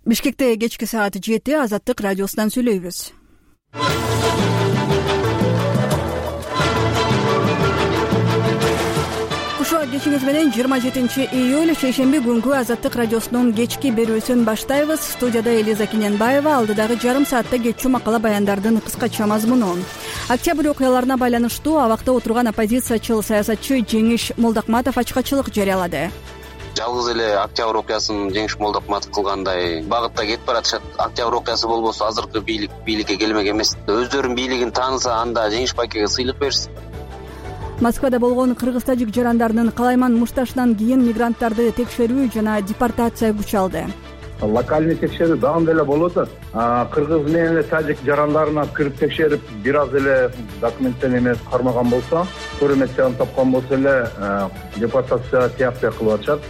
Бишкекте кечки саат 7 Азаттык радиосунан сүйлөйбүз. Кушуа кечиңиз менен 27-июль шейшемби күнгү Азаттык радиосунун кечки берүүсүн баштайбыз. Студияда Элиза Кененбаева, алдыдагы жарым саатта кечүү макала баяндардын кыскача мазмунун. Октябрь окуяларына байланыштуу абакта отурган оппозициячыл саясатчы Жеңиш Молдокматов ачкачылык жарыялады. Жалгыз эле Октябрь окуясын Жеңиш Молдокматов кылгандай багытта кетип баратышат. Октябрь окуясы болбосо азыркы бийликке келмек эмес. Өздөрүнүн бийлигин тааныса, анда Жеңиш байкеге сыйлык берсин. Москвада болгон кыргыз-тажик жарандарынын калайман мушташынан кийин мигранттарды текшерүү жана депортация күч алды. Локальный текшерүү давам эле болуп атат. Кыргыз менен тажик жарандарына кирип текшерип, бир аз эле документтен эмес кармаган болсо, көрөмөчөн тапкан болсо эле депортация тияпты кылып атышат.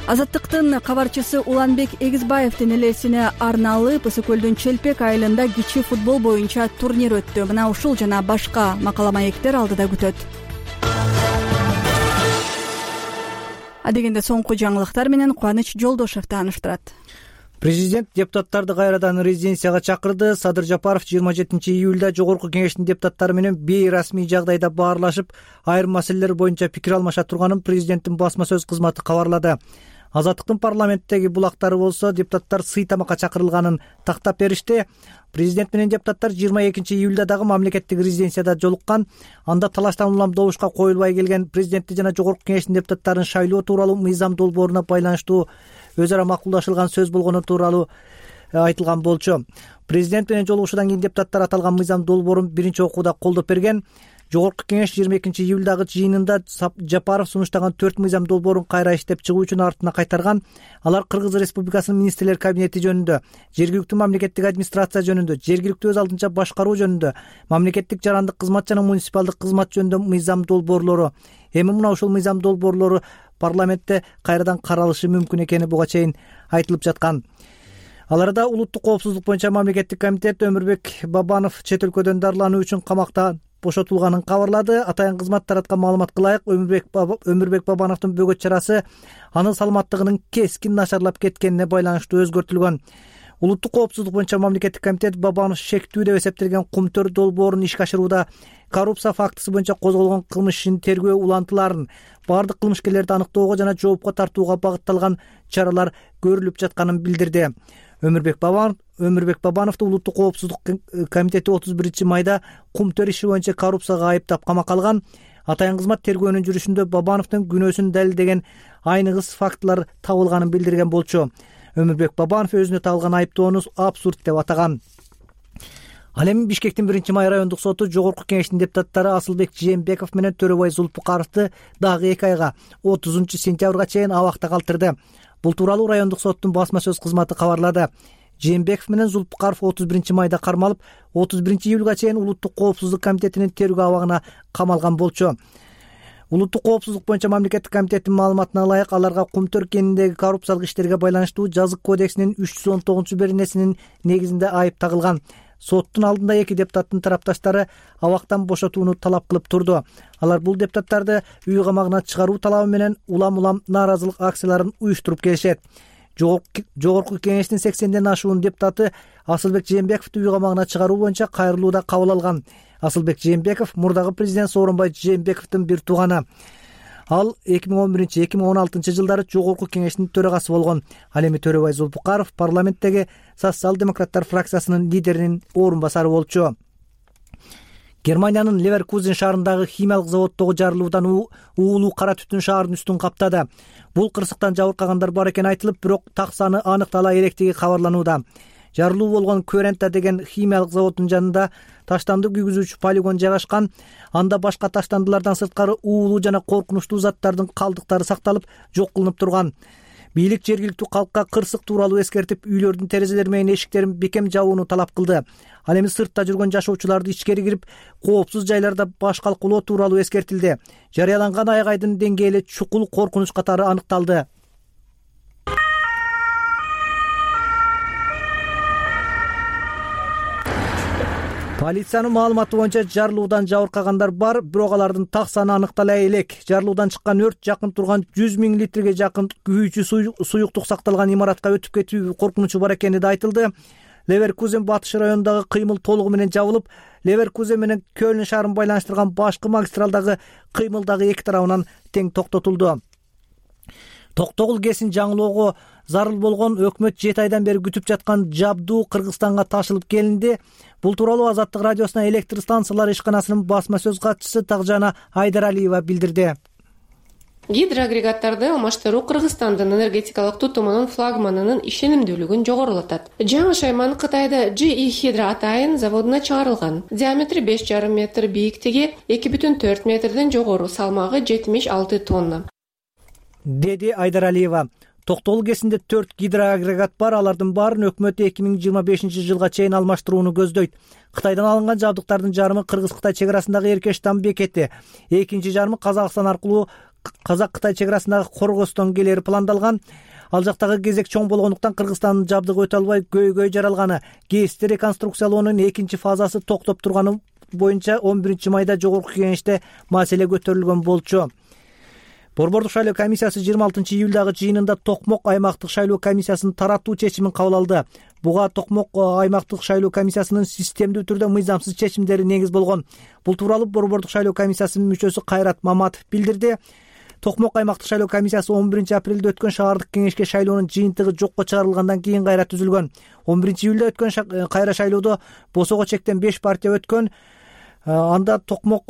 Азаттыктын кабарчысы Уланбек Эгизбаевдин элесине арналып Ысык көлдүн Челпек айылында кичи футбол боюнча турнир өттү. Мына ушул жана башка макала маектер алдыда күтөт. Адегенде соңку жаңылыктар менен Кубаныч Жолдошев тааныштырат. Президент депутаттарды кайрадан резиденцияга чакырды. Садыр Жапаров 27-июлда Жогорку Кеңештин депутаттары менен бейрасмий жагдайда баарлашып, айрым маселелер боюнча пикир алмаша турганын президенттин басма сөз кызматы кабарлады. Азаттыктын парламенттеги булактары болсо депутаттар сый тамакка чакырылганын тактап беришти. Президент менен депутаттар 22-июлда дагы мамлекеттик резиденцияда жолуккан. Анда талаштан улам добушка коюлбай келген президентти жана Жогорку Кеңештин депутаттарын шайлоо тууралуу мыйзам долбооруна байланыштуу өз ара макулдашылган сөз болгону тууралуу айтылган болчу. Президент менен жолугушуудан кийин депутаттар аталган мыйзам долбоорун биринчи окууда колдоп берген. Жогорку Кеңеш 22-июлдагы жыйынында Жапаров сунуштаган 4 мыйзам долбоорун кайра иштеп чыгуу үчүн артына кайтарган. Алар Кыргыз Республикасынын министрлер кабинети жөнүндө, жергиликтүү мамлекеттик администрация жөнүндө, жергиликтүү өз алдынча башкаруу жөнүндө, мамлекеттик жарандык кызмат жана муниципалдык кызмат жөнүндө мыйзам долбоорлору. Эми мына ушул мыйзам долбоорлору парламентте кайрадан каралышы мүмкүн экени буга чейин айтылып жаткан. Аларда улуттук коопсуздук боюнча мамлекеттик комитет Өмүрбек Бабанов чет өлкөдөн дарылануу үчүн камакта бошотулганын кабарлады. Атайын кызмат тараткан маалыматка ылайык, Өмүрбек Бабановдун бөгөт чарасы анын саламаттыгынын кескин начарлап кеткенине байланыштуу өзгөртүлгөн. Улуттук коопсуздук боюнча мамлекеттик комитет Бабанов шектүү деп эсептелген Кумтөр долбоорун ишке ашырууда коррупция фактысы боюнча козголгон кылмыш ишин тергөө улантыларын, бардык кылмышкерлерди аныктоого жана жоопко тартууга багытталган чаралар көрүлүп жатканын билдирди. Өмүрбек Бабановду улуттук коопсуздук комитети 31-майда Кумтөр иши боюнча коррупцияга айыптап камакка алган. Атайын кызмат тергөөнүн жүрүшүндө Бабановдун күнөөсүн далилдеген айныгыс фактылар табылганын билдирген болчу. Өмүрбек Бабанов өзүнө тагылган айыптоону абсурд деп атаган. Ал эми Бишкектин 1-май райондук соту Жогорку Кеңештин депутаттары Асылбек Жээнбеков менен Төрөбай Зулпукаровду дагы 2 айга 30-сентябрга чейин абакта калтырды. Бул тууралуу райондук соттун басма сөз кызматы кабарлады. Жээнбеков менен Зулпукаров 31-майда кармалып, 31-июлга чейин Улуттук коопсуздук комитетинин тергөө абагына камалган болчу. Улуттук коопсуздук боюнча мамлекеттик комитеттин маалыматына ылайык, аларга Кумтөр кениндеги коррупциялык иштерге байланыштуу Жазык кодексинин 319-беренесинин негизинде айып тагылган. Соттун алдында 2 депутаттын тарапташтары абактан бошотууну талап кылып турду. Алар бул депутаттарды үй камагына чыгаруу талабы менен улам нааразылык акцияларын уюштуруп келишет. Жогорку Кеңештин 80ден ашуун депутаты Асылбек Жээнбековду үй камагына чыгаруу боюнча кайрылууда кабыл алган. Асылбек Жээнбеков мурдагы президент Сооронбай Жээнбековдун бир тууганы. Ал 2011-2016 жылдары Жогорку Кеңештин төрагасы болгон. Ал эми Төрөбай Зулпукаров парламенттеги социал-демократтар фракциясынын лидеринин орун басары болчу. Германиянын Леверкузен шаарындагы химиялык заводдогу жарылуудан уулуу кара түтүн шаардын үстүн каптады. Бул кырсыктан жабыркагандар бар экени айтылып, бирок так саны аныктала электиги кабарланууда. Жарылуу болгон Кюрента деген химиялык заводдун жанында таштанды күйгүзүүчү полигон жайгашкан. Анда башка таштандылардан сырткары уулуу жана коркунучтуу заттардын калдыктары сакталып, жок кылынып турган. Бийлик жергиликтүү калкка кырсык тууралуу эскертип, үйлөрдүн терезелери менен эшиктерин бекем жабууну талап кылды. Ал эми сыртта жүргөн жашоочуларды ичкери кирип, коопсуз жайларда баш калкулоо тууралуу эскертилди. Жарыяланган айгайдын деңгээли чукул коркунуч катары аныкталды. Полициянын маалыматы боюнча жарылуудан жабыркагандар бар, бирок алардын так саны аныктала элек. Жарылуудан чыккан өрт жакын турган 100 000 литрге жакын күйүүчү суюктук сакталган имаратка өтүп кетүү коркунучу бар экени да айтылды. Леверкузен батыш районундагы кыймыл толугу менен жабылып, Леверкузен менен Кёльн шаарын байланыштырган башкы магистралдагы кыймыл дагы эки тарабынан тең токтотулду. Токтогул ГЭСин жаңылоого зарыл болгон өкмөт 7 айдан бери күтүп жаткан жабдуу Кыргызстанга ташылып келинди. Бул тууралуу Азаттык радиосуна электр станциялары ишканасынын басма сөз катчысы Такжана Айдаралиева билдирди. Гидроагрегаттарды алмаштыруу Кыргызстандын энергетикалык тутумунун флагманынын ишенимдүүлүгүн жогорулатат. Жаңы шайман Кытайда GE Hydro Атайын заводуна чыгарылган. Диаметри 5,5 метр, бийиктиги 2,4 метрден жогору, салмагы 76 тонна, деди Айдаралиева. Токтогул ГЭСинде 4 гидроагрегат бар, алардын баарын өкмөт 2025-жылга чейин алмаштырууну көздөйт. Кытайдан алынган жабдыктардын жарымы Кыргыз-Кытай чек арасындагы Эркештам бекети, экинчи жарымы Казакстан аркылуу Казак-Кытай чек арасындагы Коргостон келери пландалган. Ал жактагы кезек чоң болгондуктан Кыргызстандын жабдыгы өтө албай көйгөй жаралганы. ГЭСти реконструкциялоонун экинчи фазасы токтоп турганы боюнча 11 майда жогорку кеңеште маселе көтөрүлгөн болчу. Борбордук шайлоо комиссиясы 26 июлдагы жыйынында Токмок аймактык шайлоо комиссиясын таратуу чечимин кабыл алды. Буга Токмок аймактык шайлоо комиссиясынын системдүү түрдө мыйзамсыз чечимдери негиз болгон. Бул тууралуу Борбордук шайлоо комиссиясынын мүчөсү Кайрат Маматов билдирди. Токмок аймактык шайлоо комиссиясы 11 апрелде өткөн шаардык кеңешке шайлоонун жыйынтыгы жокко чыгарылгандан кийин кайра түзүлгөн. 11 июлда өткөн кайра шайлоодо босого чектен 5 партия өткөн. Анда Токмок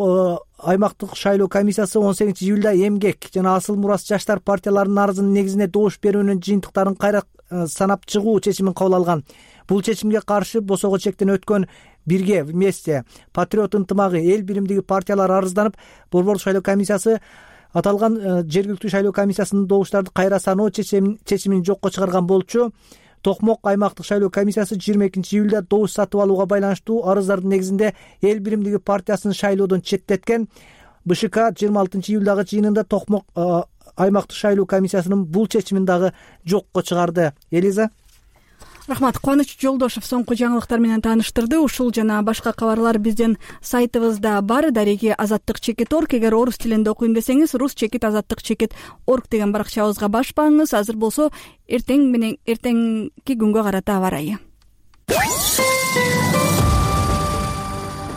аймактык шайлоо комиссиясы 18 июлда Эмгек жана Асыл Мурас жаштар партияларынын арызынын негизинде добуш берүүнүн жыйынтыктарын кайра санап чыгуу чечимин кабыл алган. Бул чечимге каршы босого чектен өткөн Бирге, Вместе, Патриот ынтымагы, Эл биримдиги партиялар арызданып, Борбордук шайлоо комиссиясы аталган жергиликтүү шайлоо комиссиясынын добуштарды кайра саноо чечимин жокко чыгарган болчу. Токмок аймактык шайлоо комиссиясы 22 июлда добуш сатып алууга байланыштуу арыздардын негизинде Эл биримдиги партиясын шайлоодон четтеткен. БШК 26 июлдагы жыйынында Токмок аймактык шайлоо комиссиясынын бул чечимин дагы жокко чыгарды. Элиза. Рахмат. Кубаныч Жолдошев соңку жаңылыктар менен тааныштырды. Ушул жана башка кабарлар биздин сайтыбызда бар. Дареги Азаттык.org. Эгер орус тилинде окуйм десеңиз, rus.azаттык.org деген баракчабызга башпаңыз. Азыр болсо эртеңки күнгө карата аба ырайы.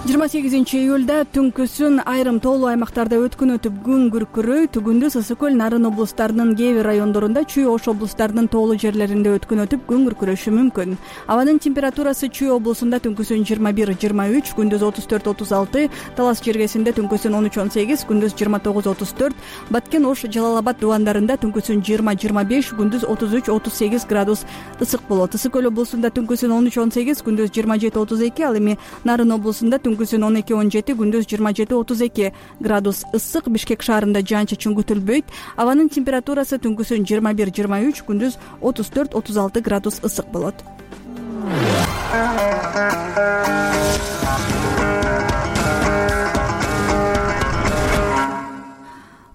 28 июлда түнкүсүн айрым тоолуу аймактарда өткүнөтүп күн күркүрөйт. Күндүз Ысык көл, Нарын облустарынын кээ бир райондорунда, Чүй Ош облустарынын тоолуу жерлеринде өткүнөтүп күн күркүрөшү мүмкүн. Абанын температурасы Чүй облусунда түнкүсүн 21-23, күндүз 34-36, Талас жергесинде түнкүсүн 13-18, күндүз 29-34, Баткен, Ош, Жалал-Абад дубандарында түнкүсүн 20-25, күндүз 33-38 градус ысык болот. Ысык көл облусунда түнкүсүн 13-18, күндүз 27-32, ал эми Нарын облусунда түнкүсүн 12-17, күндүз 27-32 градус ысык. Бишкек шаарында жаан-чачын күтүлбөйт. Абанын температурасы түнкүсүн 21-23, күндүз 34-36 градус ысык болот.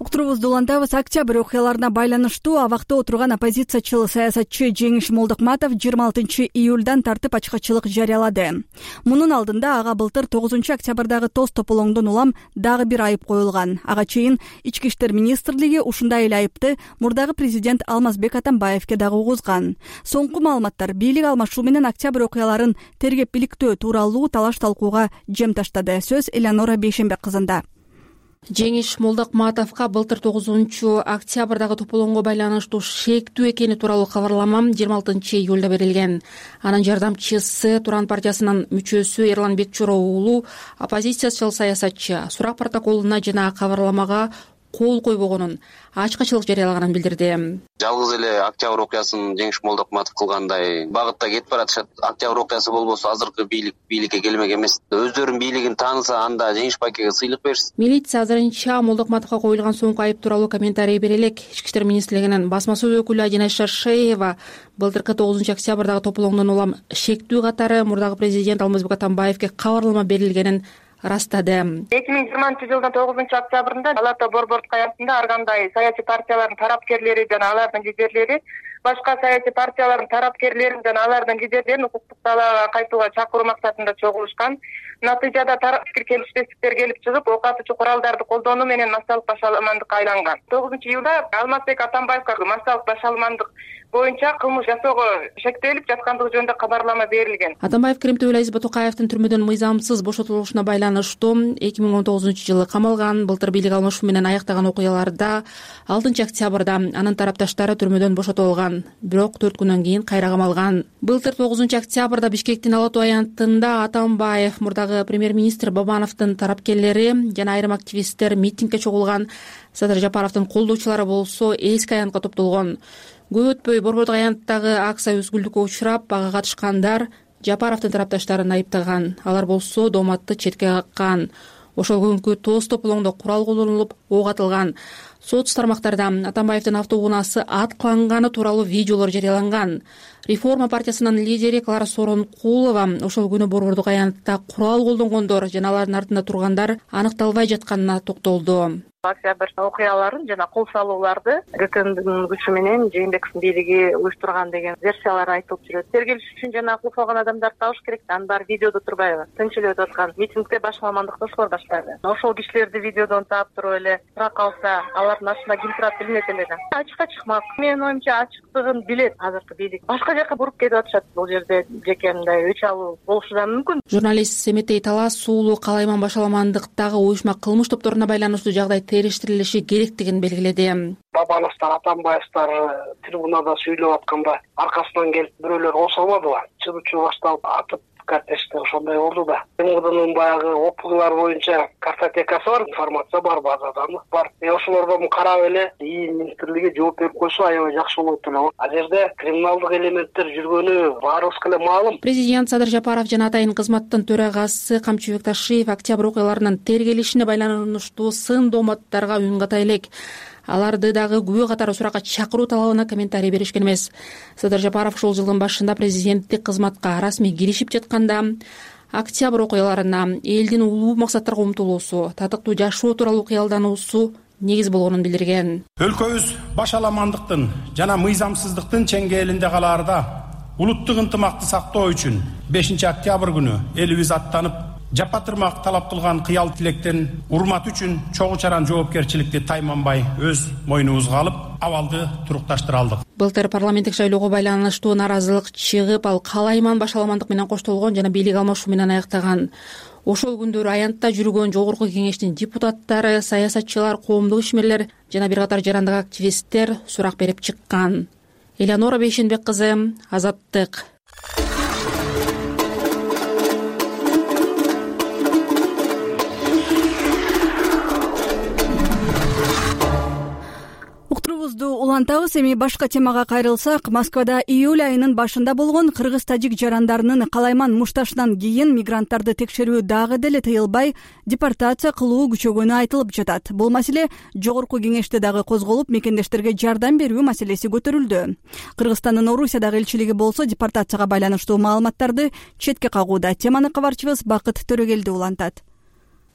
Уктурубузду улантабыз. Октябрь окуяларына байланыштуу абакта отурган оппозициячыл саясатчы Жеңиш Молдокматов 26 июлдан тартып ачкычылык жарыялады. Мунун алдында ага былтыр 9 октябрдагы тоз тополоңдон улам дагы бир айып коюлган. Ага чейин Ички иштер министрлиги ушундай эле айыпты мурдагы президент Алмазбек Атамбаевке дагы угузган. Соңку маалыматтар бийлик алмашуу менен октябрь окуяларын тергеп биликтөө тууралуу талаш талкууга жем таштады. Сөз Элеонора Бейшембек кызында. Жеңиш Молдокматовго былтыр 9 октябрдагы тополоңго байланыштуу шектүү экени тууралуу кабарлама 26 июлда берилген. Анын жардамчысы Туран партиясынын мүчөсү Эрлан Бекчуров уулу оппозициячыл саясатчы сурак протоколуна жана кабарламага кол койбогонун, ачкычылык жарыялаганын билдирди. Жалгыз эле октябрь окуясын Жеңиш Молдокматов кылгандай багытта кетип баратышат. Октябрь окуясы болбосо азыркы бийликке келмек эмес. Өздөрүнүн бийлигин тааныса, анда Жеңиш Байкеге сыйлык беришsin. Милиция азырынча Молдокматовго коюлган соңку айып тууралуу комментарий бере элек. Ички иштер министрлигинин басма сөз өкүлү Адина Шаршеева былтыркы 9 октябрдагы тополоңдон улам шектүү катары мурдагы президент Алмазбек Атамбаевке кабарлама берилгенин растады. 2020 жылдын 9 октябрында Палата борбордук аясында ар кандай саясий партиялардын тарапкерлери жана алардын лидерлери башка саясий партиялардын тарапкерлерин жана алардын лидерлерин укуктук талаага кайтууга чакыруу максатында чогулушкан. Натыйжада пикир келишпестиктер келип чыгып, ок атуучу куралдарды колдонуу менен массалык башаламандыкка айланган. 9-июлда Алмазбек Атамбаевга массалык башаламандык боюнча кылмыш жасоого шектелип жаткандыгы жөнүндө кабарлама берилген. Атамбаев Керимтөбөл Азиз Батукаевдин түрмөдөн мыйзамсыз бошотулушуна байланыштуу 2019-жылы камалган. Былтыр бийлик алмашуу менен аяктаган окуяларда 6-октябрда анын тарапташтары түрмөдөн бошотулган, бирок 4 күнөн кийин кайра камалган. Былтыр 9-октябрда Бишкектин Ала Тоо аянтында Атамбаев, мурдагы премьер-министр Бабановдун тарапкерлери жана айрым активисттер митингге чогулган. Садыр Жапаровдун колдоочулары болсо эски аянтка топтолгон. Көп өтпөй Борбордук аянттагы акция өзгүлдүккө учурап, ага катышкандар Жапаровдун тарапташтарын айыптаган. Алар болсо дооматты четке каккан. Ошол күнкү тоз тополоңдо курал колдонулуп, ок атылган. Соц тармактарда Атамбаевдин автоунаасы аткыланганы тууралуу видеолор жарыяланган. Реформа партиясынын лидери Клара Сооронкулова ошол күнү Борбордук аянтта курал колдонгондор жана алардын артында тургандар аныкталбай жатканына токтолду. Октябрь окуяларын жана кол салууларды ГКМдын күчү менен Жээнбековдун бийлиги уюштурган деген версиялар айтылып жүрөт. Тергелиш үчүн жана кулфаган адамдарды табыш керек. Анын баары видеодо турбайбы? Тынчыл өтүп аткан митингде башаламандыкты ошолор баштады. Ошол кишилерди видеодон таап туруп эле тура калса, алардын артында ким турат билинет эле да. Ачыкка чыкмак. Менин оюмча ачыктыгын билет азыркы бийлик. Башка жака буруп кетип атышат. Бул жерде жеке мындай өч алуу болушу да мүмкүн. Журналист Семетей Талас суулуу калайман башаламандыктагы уюшма кылмыш топторуна байланыштуу жагдай териштирилиши керектигин белгиледи. Бабановдор, Атамбаевдор трибунада сүйлөп атканда аркасынан келип бирөөлөр осолмадыбы? Чыдычуу башталып атып картеште ошондой болду да. МГДнын баягы окуялар боюнча картотекасы бар, информация бар, базада бар. Ошолордон карап эле министрлиги жооп берип койсо аябай жакшы болот эле. Ал жерде криминалдык элементтер жүргөнү баарыбызга эле маалым. Президент Садыр Жапаров жана атайын кызматтын төрагасы Камчыбек Ташиев октябрь окуяларынын тергелишине байланыштуу сын дооматтарга үн ката элек. Аларды дагы күбө катары суракка чакыруу талабына комментарий беришкен эмес. Садыр Жапаров ушул жылдын башында президенттик кызматка расмий киришип жатканда октябрь окуяларына элдин улуу максаттарга умтулуусу, татыктуу жашоо тууралуу кыялдануусу негиз болгонун билдирген. Өлкөбүз башаламандыктын жана мыйзамсыздыктын чеңгээлинде калаарда улуттук ынтымакты сактоо үчүн 5-октябрь күнү элибиз аттанып, жапатырмак талап кылган кыял тилектен урмат үчүн чогуу чаран жоопкерчиликти тайманбай өз мойнубузга алып, абалды турукташтыра алдык. Былтыр парламенттик шайлоого байланыштуу наразылык чыгып, ал калайман башаламандык менен коштолгон жана бийлик алмашуу менен аяктаган. Ошол күндөрү аянтта жүргөн жогорку кеңештин депутаттары, саясатчылар, коомдук ишмерлер жана бир катар жарандык активисттер сурак берип чыккан. Элеонора Бейшенбек кызы, Азаттык. Улантабыз. Эми башка темага кайрылсак, Москвада июль айынын башында болгон кыргыз-тажик жарандарынын калайман мушташынан кийин мигранттарды текшерүү дагы деле тыйылбай, депортация кылуу күчөгөнү айтылып жатат. Бул маселе жогорку кеңеште дагы козголуп, мекендештерге жардам берүү маселеси көтөрүлдү. Кыргызстандын Орусиядагы элчилиги болсо депортацияга байланыштуу маалыматтарды четке кагууда. Теманы кабарчыбыз Бакыт Төрөгелди улантат.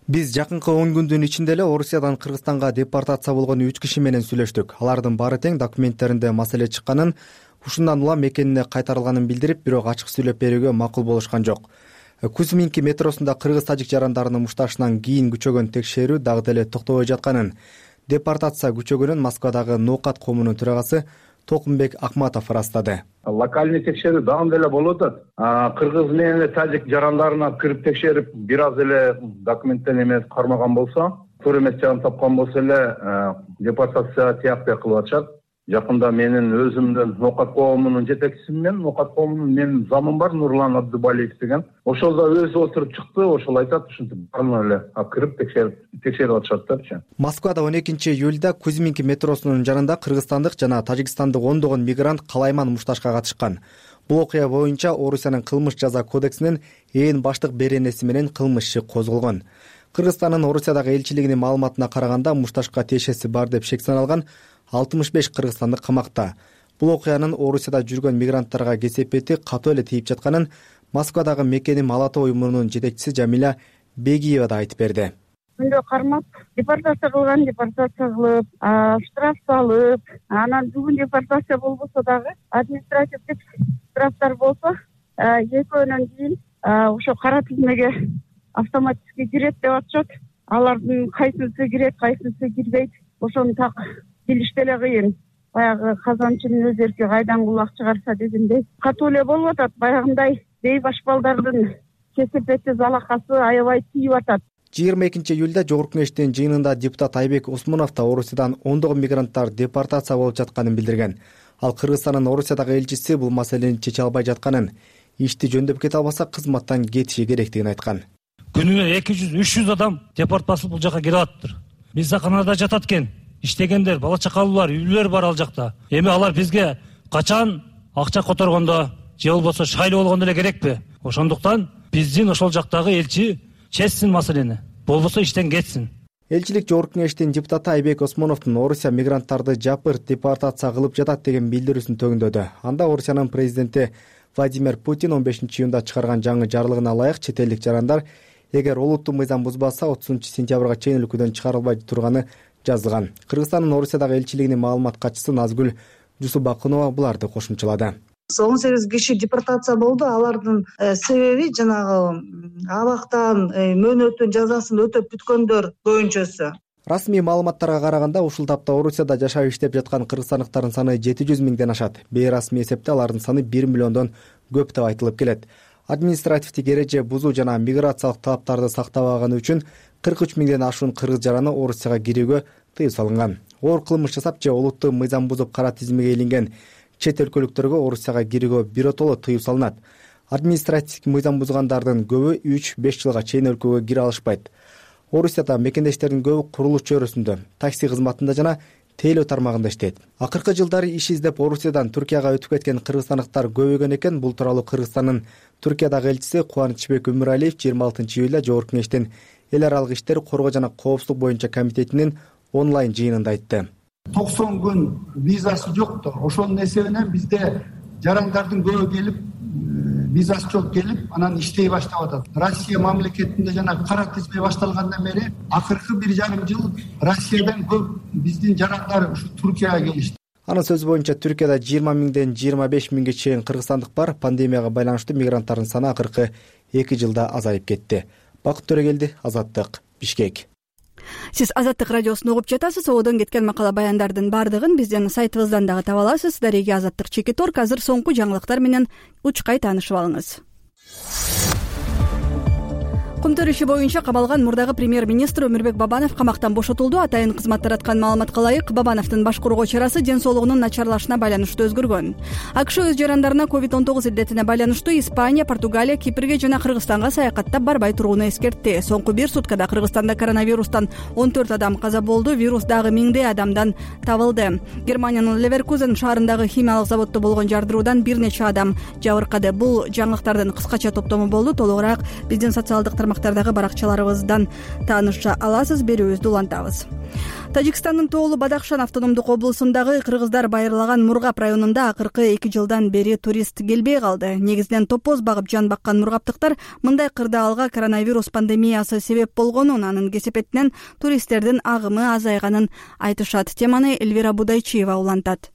Биз жакынкы 10 күндүн ичинде эле Орусиядан Кыргызстанга депортация болгон 3 киши менен сүйлөштүк. Алардын баары тең документтеринде маселе чыкканын, ушундан улам мекенине кайтарылганын билдирип, бирок ачык сүйлөп берүүгө макул болушкан жок. Кузьминки метросунда кыргыз-тажик жарандарынын мушташынан кийин күчөгөн текшерүү дагы деле токтобой жатканын, депортация күчөгөнүн Москвадагы Ноокат коомунун төрагасы Токумбек Акматов ырастады. Локальный текшерүү дагы деле болуп атат. Кыргыз менен тажик жарандарына кирип текшерип, бир аз эле документтен эмес кармаган болсо, туура эмес жагын тапкан болсо эле депортация тияптай кылып атышат. Жакында менин өзүмдүн Ноокат коомунун жетекчиси менен, Ноокат коомунун менин замым бар, Нурлан Абдыбалиев деген. Ошол да өзү отуруп чыкты, ошол айтат, ушинтип баарына эле кирип текшерип атышат. Москвада 12-июлда Кузьминки метросунун жанында кыргызстандык жана тажикстандык ондогон мигрант калайман мушташка катышкан. Бул окуя боюнча Орусиянын кылмыш жаза кодексинин ээн баштык беренеси менен кылмыш иши козголгон. Кыргызстандын Орусиядагы элчилигинин маалыматына караганда, мушташка тиешеси бар деп шек саналган 65 кыргызстандык камакта. Бул окуянын Орусияда жүргөн мигранттарга кесепети катуу эле тийип жатканын Москвадагы мекеним Ала Тоо уюмунун жетекчиси Жамиля Бегиева да айтып берди. күндө кармап депортация кылган депортация кылып, штраф салып, анан бүгүн депортация болбосо дагы административдик штрафтар болсо экөөнөн кийин ошо кара тизмеге автоматически кирет деп атышат. Алардын кайсысы кирет, кайсысы кирбейт, ошону так билиш деле кыйын. Баягы казанчынын өз эрки кайдан кулак чыгарса дегендей катуу эле болуп атат. Баягындай бейбаш балдардын кесепети, залакасы аябай тийип атат. 22-июлда Жогорку Кеңештин жыйынында депутат Айбек Осмонов да Орусиядан ондогон мигранттар депортация болуп жатканын билдирген. Ал Кыргызстандын Орусиядагы элчиси бул маселени чече албай жатканын, ишти жөндөп кете албаса кызматтан кетиши керектигин айткан. Күнүнө 200-300 адам депорт басылып бул жака келип атыптыр. Мисаканада жатат экен, иштегендер, бала чакалуулар, үйлөр бар ал жакта. Эми алар бизге качан акча которгондо же болбосо шайлоо болгондо эле керекпи? Ошондуктан биздин ошол жактагы элчи чечсин маселени, болбосо иштен кетсин. Элчилик Жогорку Кеңештин депутаты Айбек Осмоновдун Орусия мигранттарды жапыр депортация кылып жатат деген билдирүүсүн төгүндөдү. Анда Орусиянын президенти Владимир Путин 15-июнда чыгарган жаңы жарлыгына ылайык чет элдик жарандар эгер олуттуу мыйзам бузбаса 30-сентябрга чейин өлкөдөн чыгарылбай турганы жазылган. Кыргызстандын Орусиядагы элчилигинин маалымат катчысы Назгүл Жусубакунова буларды кошумчалады. 18 киши депортация болду. Алардын себеби жанагы абактан мөөнөтүн жазасын өтөп бүткөндөр көбүнчөсү. Расмий маалыматтарга караганда ушул тапта Орусияда жашап иштеп жаткан кыргызстандыктардын саны 700 миңден ашат. Бейрасмий эсепте алардын саны 1 миллиондон көп деп айтылып келет. Административдик эреже бузуу жана миграциялык талаптарды сактабаганы үчүн 43 миңден ашуун кыргыз жараны Орусияга кирүүгө тыюу салынган. Оор кылмыш жасап же олуттуу мыйзам бузуп кара тизмеге илинген чет өлкөлүктөргө Орусияга кирүүгө биротоло тыюу салынат. Административдик мыйзам бузгандардын көбү 3-5 жылга чейин өлкөгө кире алышпайт. Орусияда мекендештердин көбү курулуш чөйрөсүндө, такси кызматында жана тейлөө тармагында иштейт. Акыркы жылдары иш издеп Орусиядан Түркияга өтүп кеткен кыргызстандыктар көбөйгөн экен. Бул тууралуу Кыргызстандын Түркиядагы элчиси Кубанычбек Өмүралиев 26-июлда Жогорку Кеңештин эл аралык иштер, коргоо жана коопсуздук боюнча комитетинин онлайн жыйынында айтты. 90 күн визасы жокту. Ошонун эсебинен бизде жарандардын көбү келип, визасы жок келип, анан иштей баштап атат. Россия мамлекетинде жана кара тизме башталгандан бери акыркы 1,5 жыл Россиядан көп биздин жарандар ушу Түркияга келишти. Анын сөзү боюнча Түркияда 20 миңден 25 миңге чейин кыргызстандык бар. Пандемияга байланыштуу мигранттардын саны акыркы 2 жылда азайып кетти. Бакыт Төрөгелди, Азаттык, Бишкек. Сиз Азаттык радиосун угуп жатасыз. Одон кеткен макала баяндардын бардыгын биздин сайтыбыздан дагы таба аласыз. Дареги Азаттык /Торк. Азыр соңку жаңылыктар менен учкай таанышып алыңыз. Кумтөр иши боюнча кабалган мурдагы премьер-министр Өмүрбек Бабанов камактан бошотулду. Атайын кызмат тараткан маалыматка ылайык, Бабановдун баш коргоо чарасы ден соолугунун начарлашына байланыштуу өзгөргөн. АКШ өз жарандарына COVID-19 илдетине байланыштуу Испания, Португалия, Кипрге жана Кыргызстанга саякаттап барбай турууну эскертти. Соңку 1 суткада Кыргызстанда коронавирустан 14 адам каза болду. Вирус дагы миңдей адамдан табылды. Германиянын Леверкузен шаарындагы химиялык заводдо болгон жардыруудан бир нече адам жабыркады. Бул жаңылыктардын кыскача топтому болду. Толугураак биздин социалдык тармактардагы баракчаларыбыздан тааныша аласыз. Берүүбүздү улантабыз. Тажикстандын Тоолу Бадахшан автономдук облусундагы кыргыздар байырлаган Мургап районунда акыркы 2 жылдан бери турист келбей калды. Негизинен топоз багып жан баккан мургаптыктар мындай кырдаалга коронавирус пандемиясы себеп болгонун, анын кесепетинен туристтердин агымы азайганын айтышат. Теманы Эльвира Будайчиева улантат.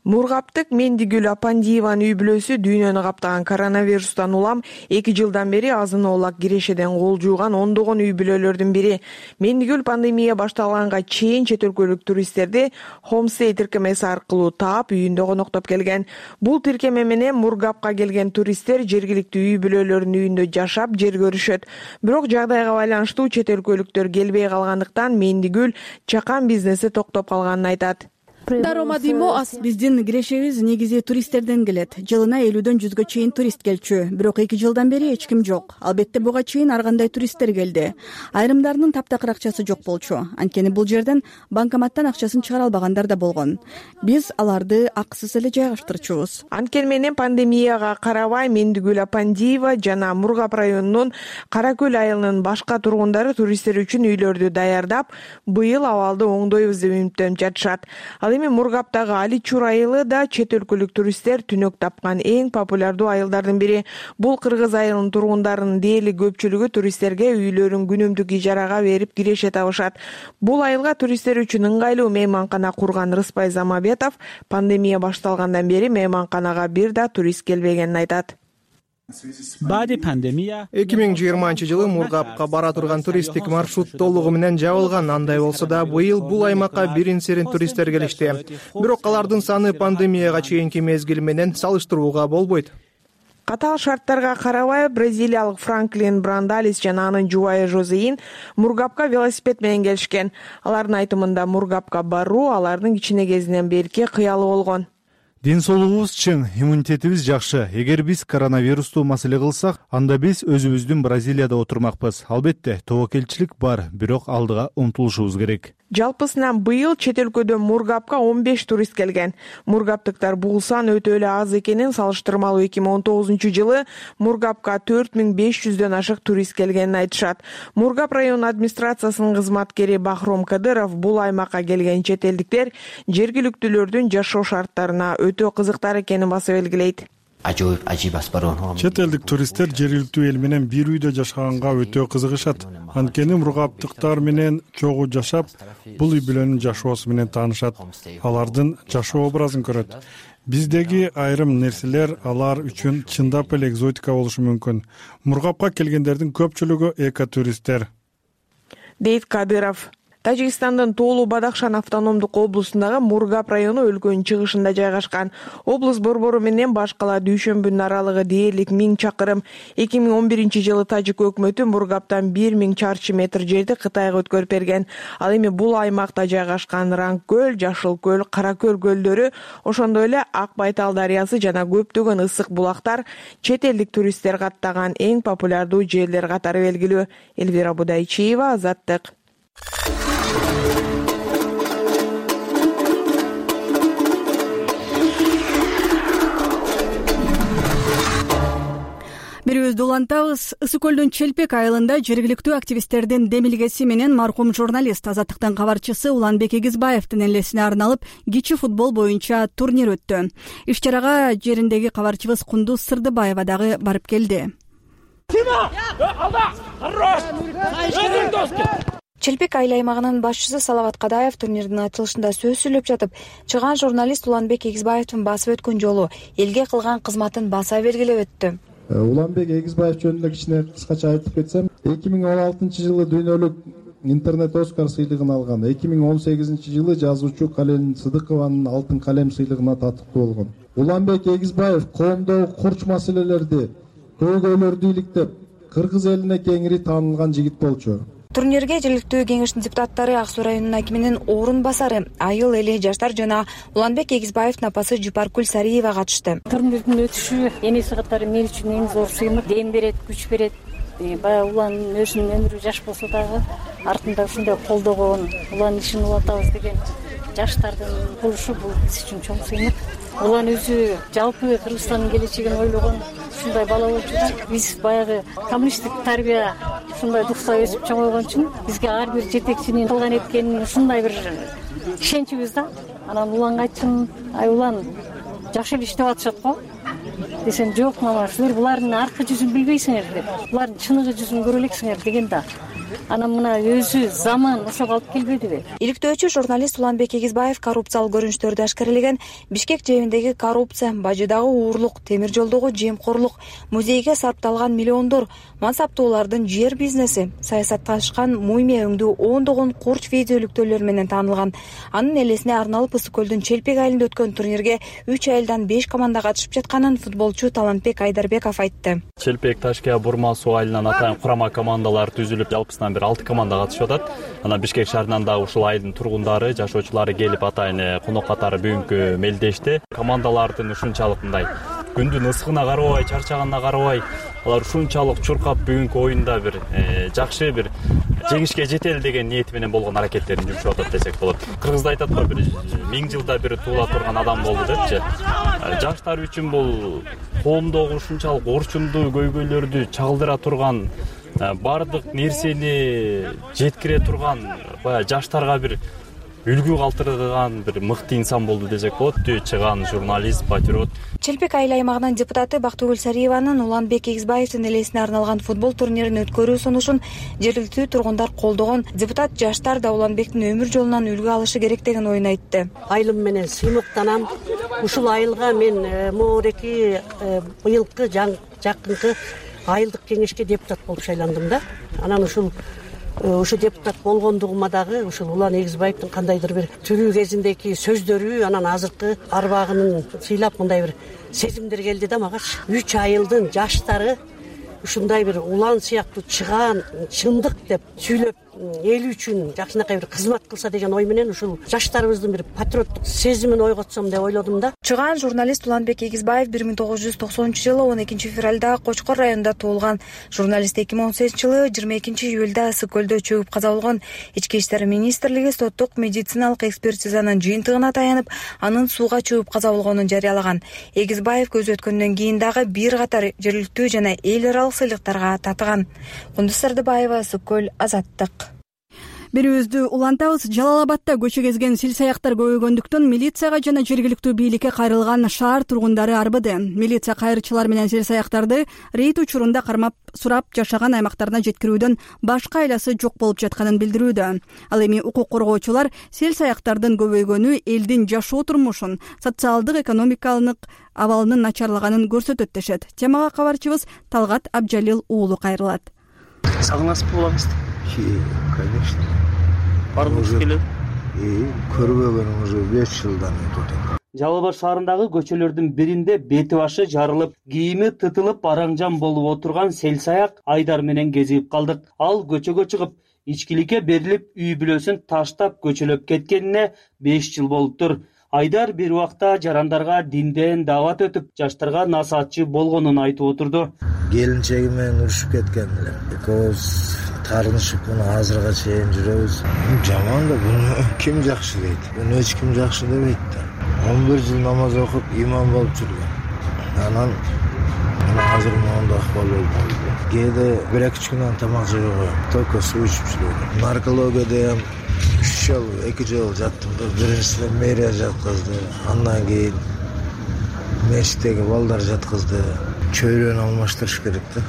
Мургаптык Мендигүл Апандиеванын үй бүлөсү дүйнөнү каптаган коронавирустан улам 2 жылдан бери азын-оолак кирешеден кол жууган ондогон үй бүлөлөрдүн бири. Мендигүл пандемия башталганга чейин чет өлкөлүк туристтерди Homestay тиркемеси аркылуу таап, үйүндө коноктоп келген. Бул тиркеме менен Мургапка келген туристтер жергиликтүү үй бүлөлөрүнүн үйүндө жашап, жер көрүшөт. Бирок жагдайга байланыштуу чет өлкөлүктөр келбей калгандыктан Мендигүл чакан бизнеси токтоп калганын айтат. Биздин кирешебиз негизи туристтерден келет. Жылына 50дөн 100гө чейин турист келчү. Бирок 2 жылдан бери эч ким жок. Албетте буга чейин ар кандай туристтер келди. Айрымдарынын таптакыр акчасы жок болчу. Анткени бул жерден банкоматтан акчасын чыгара албагандар да болгон. Биз аларды акысыз эле жайгаштырчубуз. Анткени менен пандемияга карабай Мендигүл Апандиева жана Мургап районунун Кара Көл айылынын башка тургундары туристтер үчүн үйлөрдү даярдап, быйыл абалды оңдойбуз деп үмүттөнүп жатышат. Ал эми Мургаптагы Аличур айылы да чет өлкөлүк туристтер түнөк тапкан эң популярдуу айылдардын бири. Бул Кыргыз айылынын тургундарынын дээрлик көпчүлүгү туристтерге үйлөрүн күнүмдүк ижарага берип киреше табышат. Бул айылга туристтер үчүн ыңгайлуу мейманкана курган Рыспай Замабетов пандемия башталгандан бери мейманканага бир да турист келбегенин айтат. 2020-жылы Мургапка бара турган туристтик маршрут толугу менен жабылган. Андай болсо да быйыл бул аймакка бирин-серин туристтер келишти. Бирок алардын саны пандемияга чейинки мезгил менен салыштырууга болбойт. Катаал шарттарга карабай бразилиялык Франклин Брандалис жана анын жубайы Жозеин Мургапка велосипед менен келишкен. Алардын айтымында Мургапка баруу алардын кичине кезинен берки кыялы болгон. Ден соолугубуз чың, иммунитетибиз жакшы. Эгер биз коронавирусту маселе кылсак, анда биз өзүбүздүн Бразилияда отурмакпыз. Албетте, тобокелчилик бар, бирок алдыга умтулушубуз керек. Жалпысынан быйыл чет өлкөдөн Мургапка 15 турист келген. Мургаптыктар бул сан өтө эле аз экенин салыштырмалуу 2019-жылы Мургапка 4500дөн ашык турист келгенин айтышат. Мургап район администрациясынын кызматкери Бахром Кадыров бул аймакка келген чет элдиктер жергиликтүүлөрдүн жашоо шарттарына өтө кызыктар экенин басып белгилейт. Чет элдик туристтер жергиликтүү эл менен бир үйдө жашаганга өтө кызыгышат. Анткени мургаптыктар менен чогуу жашап, бул үй бүлөнүн жашоосу менен таанышат. Алардын жашоо образын көрөт. Биздеги айрым нерселер алар үчүн чындап эле экзотика болушу мүмкүн. Мургапка келгендердин көпчүлүгү экотуристтер, дейт Кадыров. Тажикстандын Тоолу Бадахшан автономдук облусундагы Мургап району өлкөнүн чыгышында жайгашкан. Облус борбору менен баш кала Дүйшөмбүнүн аралыгы дээрлик 1000 чакырым. 2011-жылы тажик өкмөтү Мургаптан 1000 чарчы метр жерди Кытайга өткөрүп берген. Ал эми бул аймакта жайгашкан Ранг көл, Жашыл көл, Кара көл көлдөрү, ошондой эле Ак Байтал дарыясы жана көптөгөн ысык булактар чет элдик туристтер каттаган эң популярдуу жерлер катары белгилүү. Элвира Будайчиева, Азаттык. Бирибизди улантабыз. Ысык көлдүн Челпек айылында жергиликтүү активисттердин демилгеси менен маркум журналист, Азаттыктын кабарчысы Уланбек Эгизбаевдин элесине арналып кичи футбол боюнча турнир өттү. Иш чарага жериндеги кабарчыбыз Кундуз Сырдыбаева дагы барып келди. Челпек айыл аймагынын башчысы Салават Кадаев турнирдин ачылышында сөз сүйлөп жатып, чыган журналист Уланбек Эгизбаевдин басып өткөн жолу, элге кылган кызматын баса белгилеп өттү. Уланбек Эгизбаев жөнүндө кичине кыскача айтып кетсем, 2016-жылы дүйнөлүк интернет Оскар сыйлыгын алган. 2018-жылы жазуучу Кален Сыдыкованын алтын калем сыйлыгына татыктуу болгон. Уланбек Эгизбаев коомдогу курч маселелерди, көйгөйлөрдү иликтеп, кыргыз элине кеңири таанылган жигит болчу. Турнирге жергиликтүү кеңештин депутаттары, Ак Суу районунун акиминин орун басары, айыл эли жаштар жана Уланбек Эгизбаевдин апасы Жупаркүл Сариева катышты. Турнирдин өтүшү энеси катары мен үчүн эң зор сыймык, дем берет, күч берет. Баягы улан өзүнүн өмүрү жаш болсо дагы артында ушундай колдогон, улан ишин улантабыз деген жаштардын болушу бул биз үчүн чоң сыймык. Улан өзү жалпы Кыргызстандын келечегин ойлогон ушундай бала болчу да. Биз баягы коммунисттик тарбия ушундай духта өсүп чоңойгон үчүн бизге ар бир жетекчинин кылган эткенин ушундай бир ишеничибиз да. Анан уланга айттым, ай улан, жакшы эле иштеп атышат го десем, жок мама, силер булардын аркы жүзүн билбейсиңер деп, булардын чыныгы жүзүн көрө элексиңер деген да. Анан мына өзү заман ошого алып келбедиби? Иликтөөчү журналист Уланбек Эгизбаев коррупциялык көрүнүштөрдү ашкарелеген. Бишкек жэбиндеги коррупция, Бажыдагы уурлук, Темир жолдогу жемкорлук, музейге сарпталган миллиондор, мансаптуулардын жер бизнеси, саясатташкан мумия өңдүү ондогон курч видеолүктөөлөр менен таанылган. Анын элесине арналып Ысык көлдүн Челпек айылында өткөн турнирге 3 айылдан 5 команда катышып жатканын футболчу Талантбек Айдарбеков айтты. Челпек, Ташкент, Бурма суу айылынан атайын курама командалар түзүлүп, жалпысынан бир 6 команда катышып атат. Анан Бишкек шаарынан дагы ушул айылдын тургундары, жашоочулары келип атайын конок катары бүгүнкү мелдешти. Командалардын ушунчалык мындай күндүн ысыгына карабай, чарчаганына карабай, алар ушунчалык чуркап бүгүнкү оюнда бир жакшы бир жеңишке жетели деген ниети менен болгон аракеттерин жүргүзүп атат десек болот. Кыргызда айтат го, бир 1000 жылда бир туула турган адам болду депчи. Жаштар үчүн бул коомдогу ушунчалык орчундуу көйгөйлөрдү чагылдыра турган, бардык нерсени жеткире турган, баягы жаштарга бир үлгү калтырган бир мыкты инсан болду десек болот. Түбө чыган журналист, патриот. Челпек айыл аймагынын депутаты Бактыгүл Сариеванын Уланбек Эгизбаевдин элесине арналган футбол турнирин өткөрүү сунушун жергиликтүү тургундар колдогон. Депутат жаштар да Уланбектин өмүр жолунан үлгү алышы керек деген оюн айтты. Айылым менен сыймыктанам. Ушул айылга мен моореки быйылкы жакынкы айылдык кеңешке депутат болуп шайландым да. Анан ушу депутат болгондугума дагы ушул Улан Эгизбаевдин кандайдыр бир тирүү кезиндеги сөздөрү, анан азыркы арбагынын сыйлап мындай бир сезимдер келди да магачы. 3 айылдын жаштары ушундай бир улан сыяктуу чыгаан чындык деп сүйлөп эл үчүн жакшынакай бир кызмат кылса деген ой менен ушул жаштарыбыздын бир патриоттук сезимин ойготсом деп ойлодум да. Чыгаан журналист Уланбек Эгизбаев 1990-жылы 12-февралда Кочкор районунда туулган. Журналист 2018-жылы 22-июлда Ысык көлдө чөгүп каза болгон. Ички иштер министрлиги соттук медициналык экспертизанын жыйынтыгына таянып, анын сууга чөгүп каза болгонун жарыялаган. Эгизбаев көз өткөндөн кийин дагы бир катар жергиликтүү жана эл аралык сыйлыктарга татыган. Кундуз Сардыбаева, Ысык көл, Азаттык. Бирибизди улантабыз. Жалал Абадда көчө кезген сил саяктар көбөйгөндүктөн милицияга жана жергиликтүү бийликке кайрылган шаар тургундары арбыды. Милиция кайрычылар менен сил саяктарды рейд учурунда кармап сурап жашаган аймактарына жеткирүүдөн башка айласы жок болуп жатканын билдирүүдө. Ал эми укук коргоочулар сил саяктардын көбөйгөнү элдин жашоо турмушун, социалдык экономикалык абалынын начарлаганын көрсөтөт дешет. Темага кабарчыбыз Талгат Абжалил уулу кайрылат. Сагынасып болобуз. Конечно. Баргыбыз келет. Көрбөгөнүм уже 5 жылдан өтөт. Жалал Абад шаарындагы көчөлөрдүн биринде бети башы жарылып, кийими тытылып араң-жан болуп отурган селсаяк Айдар менен кезигип калдык. Ал көчөгө чыгып, ичкиликке берилип, үй бүлөсүн таштап көчөлөп кеткенине 5 жыл болуптур. Айдар бир убакта жарандарга динден даават өтүп, жаштарга насаатчы болгонун айтып отурду. Келинчеги менен урушуп кеткен эле. Экөөбүз тарынышып муну азырга чейин жүрөбүз. Жаман да, буну ким жакшы дейт? Буну эч ким жакшы дебейт да. 11 жыл намаз окуп имам болуп жүргөн. Анан азыр моундай акыбал болду. Кээде 1-2 күнөн тамак жебей коем. Только суу ичип жүрөм. Наркологияда ham 2 жыл жаттым да. Биринчисинде мэрия жаткызды. Андан кийин мешиттеги балдар жаткызды. Чөйрөнү алмаштырыш керек да.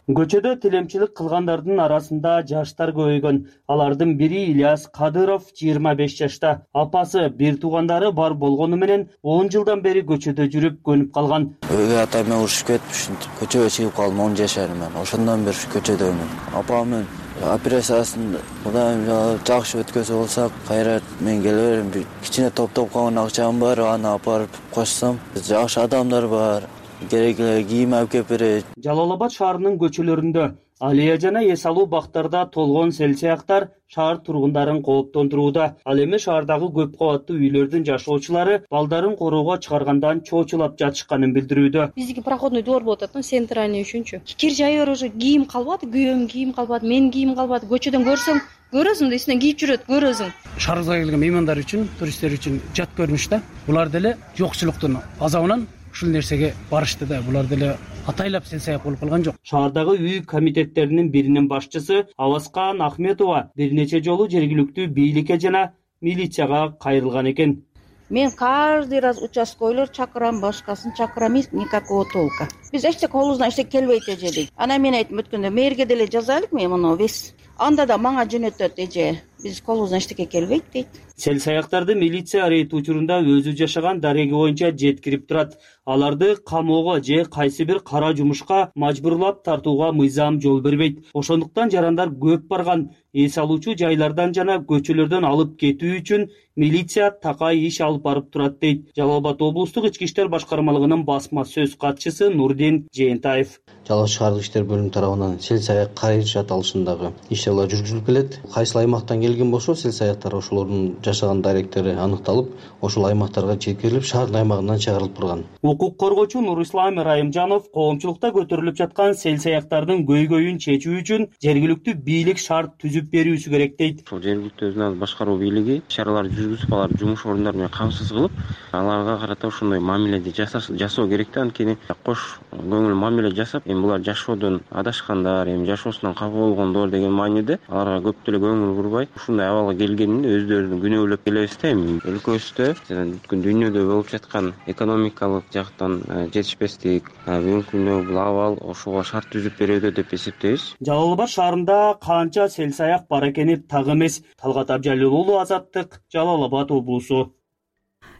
Көчөдө тилемчилик кылгандардын арасында жаштар көбөйгөн. Алардын бири Ильяс Кадыров 25 жашта. Апасы бир туугандары бар болгону менен 10 жылдан бери көчөдө жүрүп көнүп калган. Өйгө атайм урушуп кетип, көчөгө чыгып калдым 10 жашарыман. Ошондон бери көчөдөмүн. Апамын операциясын мындай жакшы өткөзө болсак, кайра мен келе берем. Кичине топтоп калган акчам бар, аны апарып койсом, жакшы адамдар бар. Керек кийим алып келип берет. Жалал Абад шаарынын көчөлөрүндө алия жана эс алуу бактарда толгон селсаяктар шаар тургундарын кооптондурууда. Ал эми шаардагы көп кабаттуу үйлөрдүн жашоочулары балдарын короого чыгаргандан чоочулап жатышканын билдирүүдө. Биздики проходной двор болуп атат, центральный үчүнчү. Кир жайыр уже кийим калбады, күйөөм кийим калбады, менин кийим калбады. Көчөдөн көрөсүң да эсинен кийип жүрөт, көрөсүң. Шаарыбызга келген меймандар үчүн, туристтер үчүн жат көрүнүш да. Булар деле жокчулуктун азабынан ушул нерсеге барышты да. Булар деле атайлап селсаяк болуп калган жок. Шаардагы үй комитеттеринин биринин башчысы Аваскан Ахметова бир нече жолу жергиликтүү бийликке жана милицияга кайрылган экен. Мен каждый раз участковыйлар чакырам, башкасын чакырам, никакого толка. Биз эчтеке колубуздан эчтеке келбейт эже дейт. Анан мен айтып өткөндө мэрге деле жазайлык мен муну вес. Анда да мага жөнөтөт эже. Биз колубуздан эчтеке келбейт дейт. Селсаяктарды милиция рейд учурунда өзү жашаган дареги боюнча жеткирип турат. Аларды камоого же кайсы бир кара жумушка мажбурлап тартууга мыйзам жол бербейт. Ошондуктан жарандар көп барган эс алуучу жайлардан жана көчөлөрдөн алып кетүү үчүн милиция такай иш алып барып турат дейт Жалал Абад облустук ички иштер башкармалыгынын басма сөз катчысы Нурдин Жээнтаев. Жалал Абад шаардык иштер бөлүмү тарабынан селсаяк кайрышат алышындагы иш-чаралар жүргүзүлүп келет. Кайсыл аймактан келген болсо селсаяктар ошолордун жашаган даректери аныкталып, ошол аймактарга жеткирилип, шаардын аймагынан чыгарылып турган. Укук коргоочу Нурислам Райымжанов коомчулукта көтөрүлүп жаткан селсаяктардын көйгөйүн чечүү үчүн жергиликтүү бийлик шарт түзүп берүүсү керек дейт. Ошол жергиликтүү өзүн башкаруу бийлиги иш-чараларды жүргүзүп, алар жумуш орундары менен камсыз кылып, аларга карата ошондой мамиледи жасоо керек да. Анткени кош көңүл мамиле жасап, эми булар жашоодон адашкандар, эми жашоосунан капа болгондор деген мааниде аларга көп деле көңүл бурбай, ушундай абалга келгенин өздөрүн күнөөлөп келебиз да. Эми өлкөбүздө бүткүл дүйнөдө болуп жаткан экономикалык жактан жетишпестик, бүгүнкү күндө бул абал ошого шарт түзүп берүүдө деп эсептейбиз. Жалал Абад шаарында канча селсаяк бар экени так эмес. Талгат Абжалил уулу, Азаттык, Жалал Абад облусу.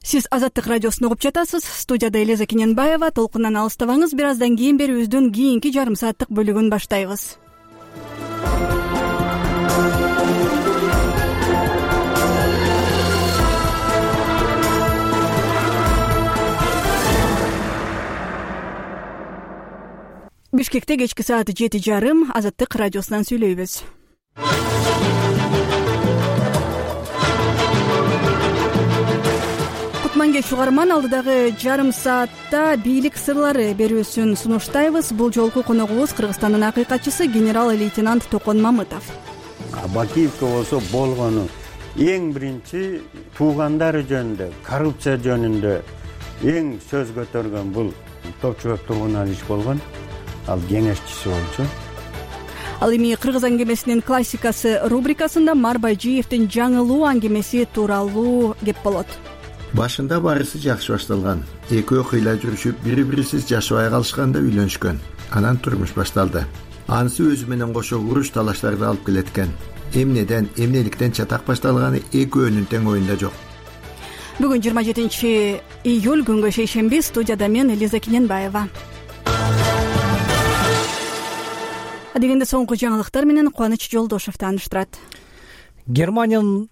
Сиз Азаттык радиосун угуп жатасыз. Студияда Элиза Кененбаева. Толкундан алыстабаңыз. Бир аздан кийин берүүбүздүн кийинки жарым сааттык бөлүгүн баштайбыз. Бишкекте кечки саат 7:30 Азаттык радиосунан сүйлөйбүз. Кутманкеч угарман, алдыдагы жарым саатта бийлик сырлары берүүсүн сунуштайбыз. Бул жолку коногубуз Кыргызстандын акыйкатчысы генерал-лейтенант Токон Мамытов. Бакиевке болсо болгону эң биринчи туугандары жөнүндө, коррупция жөнүндө эң сөз көтөргөн бул Топчубек Тургуналович болгон. Ал кеңешчиси болчу. Ал эми Кыргыз аңгемесинин классикасы рубрикасында Марбайжиевдин жаңылуу аңгемеси тууралуу кеп болот. Башында барысы жакшы башталган. Экөө кыйла жүрүшүп, бири-бирисиз жашабай калышканда үйлөнүшкөн. Анан турмуш башталды. Анысы өзү менен кошо уруш талаштарды алып келеткен. Эмнеден, эмнеликтен чатак башталганы экөөнүн тең оюнда жок. Бүгүн 27-июль күнгө шейшемби. Студияда мен Элиза Кененбаева. Адегенде соңку жаңылыктар менен Кубаныч Жолдошов тааныштырат. Германиянын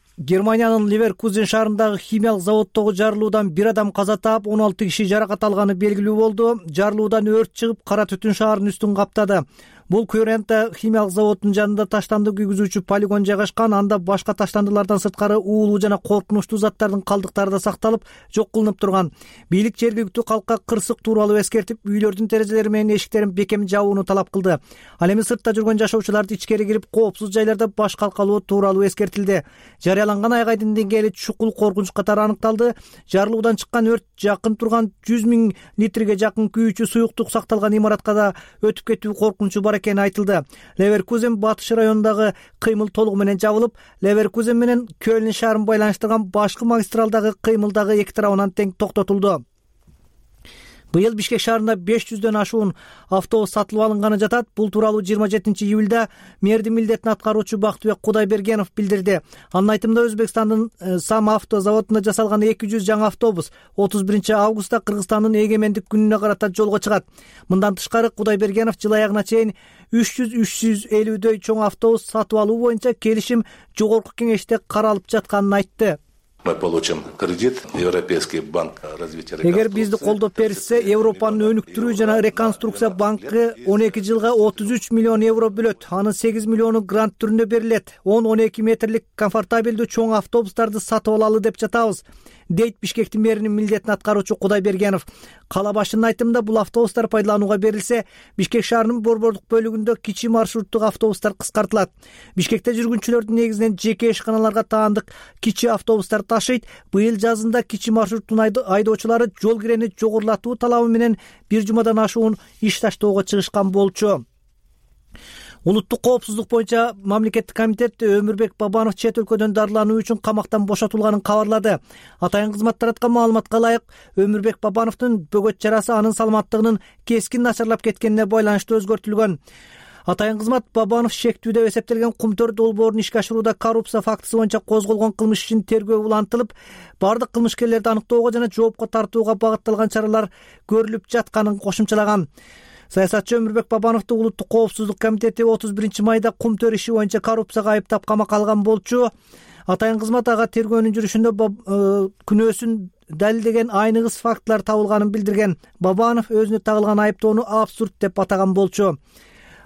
Ливеркузен шаарындагы химиялык заводдогу жарылуудан бир адам каза таап, 16 киши жаракат алганы белгилүү болду. Жарылуудан өрт чыгып, кара түтүн шаардын үстүн каптады. Бул Кюрента химиялык заводунун жанында таштанды күйгүзүүчү полигон жайгашкан. Анда башка таштандылардан сырткары уулуу жана коркунучтуу заттардын калдыктары да сакталып, жок кылынып турган. Бийлик жергиликтүү калкка кырсык тууралуу эскертип, үйлөрдүн терезелери менен эшиктерин бекем жабууну талап кылды. Ал эми сыртта жүргөн жашоочуларды ичкери кирип, коопсуз жайларда баш калкалоо тууралуу эскертилди. Жарыяланган айгайдын деңгээли чукул коркунуч катары аныкталды. Жарылуудан чыккан өрт жакын турган 100 000 литрге жакын күйүүчү суюктук сакталган имаратка да өтүп кетүү коркунучу бар экени айтылды. Леверкузен батыш районундагы кыймыл толугу менен жабылып, Леверкузен менен Кёльн шаарын байланыштырган башкы магистралдагы кыймылдагы эки тарабынан тең токтотулду. Быйыл Бишкек шаарында 500дөн ашуун автобус сатылып алынганы жатат. Бул тууралуу 27-июлда мэрдин милдетин аткаруучу Бактыбек Кудайбергенов билдирди. Анын айтымында Өзбекстандын Сам авто заводунда жасалган 200 жаңы автобус 31 августта Кыргызстандын эгемендик күнүнө карата жолго чыгат. Мындан тышкары Кудайбергенов жыл аягына чейин 300-350дөй чоң автобус сатып алуу боюнча келишим жогорку кеңеште каралып жатканын айтты. Мы получим кредит, Европейский банк развития. Эгер бизди колдоп беришсе, Европанын өнүктүрүү жана реконструкция банкы 12 жылга 33 миллион евро бөлөт. Анын 8 миллиону грант түрүндө берилет. 10-12 метрлик комфортабелдүү чоң автобустарды сатып алалы деп жатабыз, дейт Бишкектин мэринин милдетин аткаруучу Кудайбергенов. Кала башчынын айтымында бул автобустар пайдаланууга берилсе, Бишкек шаарынын борбордук бөлүгүндө кичи маршруттук автобустар кыскартылат. Бишкекте жүргүнчүлөрдүн негизинен жеке ишканаларга таандык кичи автобустар ташыйт. Быйыл жазында кичи маршруттун айдоочулары жол кирени жогорулатуу талабы менен бир жумадан ашуун иш таштоого чыгышкан болчу. Улуттук коопсуздук боюнча мамлекеттик комитет Өмүрбек Бабанов чет өлкөдөн дарылануу үчүн камактан бошотулганын кабарлады. Атайын кызмат тараткан маалыматка ылайык, Өмүрбек Бабановдун бөгөт жарасы анын саламаттыгынын кескин начарлап кеткенине байланыштуу өзгөртүлгөн. Атайын кызмат Бабанов шектүү деп эсептелген Кумтөр долбоорун ишке ашырууда коррупция фактысы боюнча козголгон кылмыш ишин тергөө улантылып, бардык кылмышкерлерди аныктоого жана жоопко тартууга багытталган чаралар көрүлүп жатканын кошумчалаган. Саясатчы Өмүрбек Бабановду Улуттук коопсуздук комитети 31 майда Кумтөр иши боюнча коррупцияга айыптап камакка алган болчу. Атайын кызмат ага тергөөнүн жүрүшүндө күнөөсүн далилдеген айныгыс фактылар табылганын билдирген. Бабанов өзүнө тагылган айыптоону абсурд деп атаган болчу.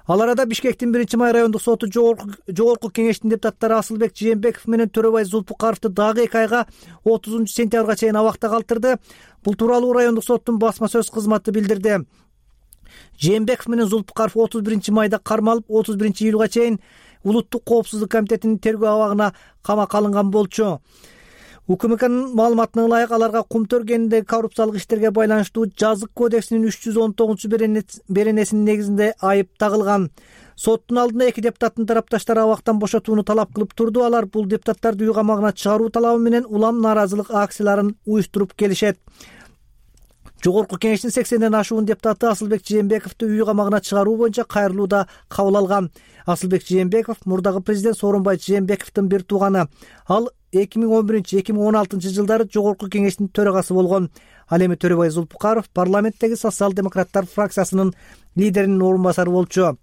Ал арада Бишкектин 1-май райондук соту жогорку кеңештин депутаттары Асылбек Жээнбеков менен Төрөбай Зулпукаровду дагы 2 айга 30 сентябрга чейин абакта калтырды. Бул тууралуу райондук соттун басма сөз кызматы билдирди. Жээнбеков менен Зулпукаров 31 майда кармалып, 31 июлга чейин Улуттук коопсуздук комитетинин тергөө абагына камакка алынган болчу. УКМКнын маалыматына ылайык, аларга Кумтөр кенинде коррупциялык иштерге байланыштуу жазык кодексинин 319 беренесинин негизинде айып тагылган. Соттун алдында эки депутаттын тарапташтары абактан бошотууну талап кылып турду. Алар бул депутаттарды үй камагына чыгаруу талабы менен улам нааразылык акцияларын уюштуруп келишет. Жогорку кеңештин 80ден ашуун депутаты Асылбек Жээнбековду үй камагына чыгаруу боюнча кайрылуу да кабыл алган. Асылбек Жээнбеков мурдагы президент Сооронбай Жээнбековдун бир тууганы. Ал 2011-2016 жылдары Жогорку кеңештин төрагасы болгон. Ал эми Төрөбай Зулпукаров парламенттеги социал-демократтар фракциясынын лидеринин орун басары болчу.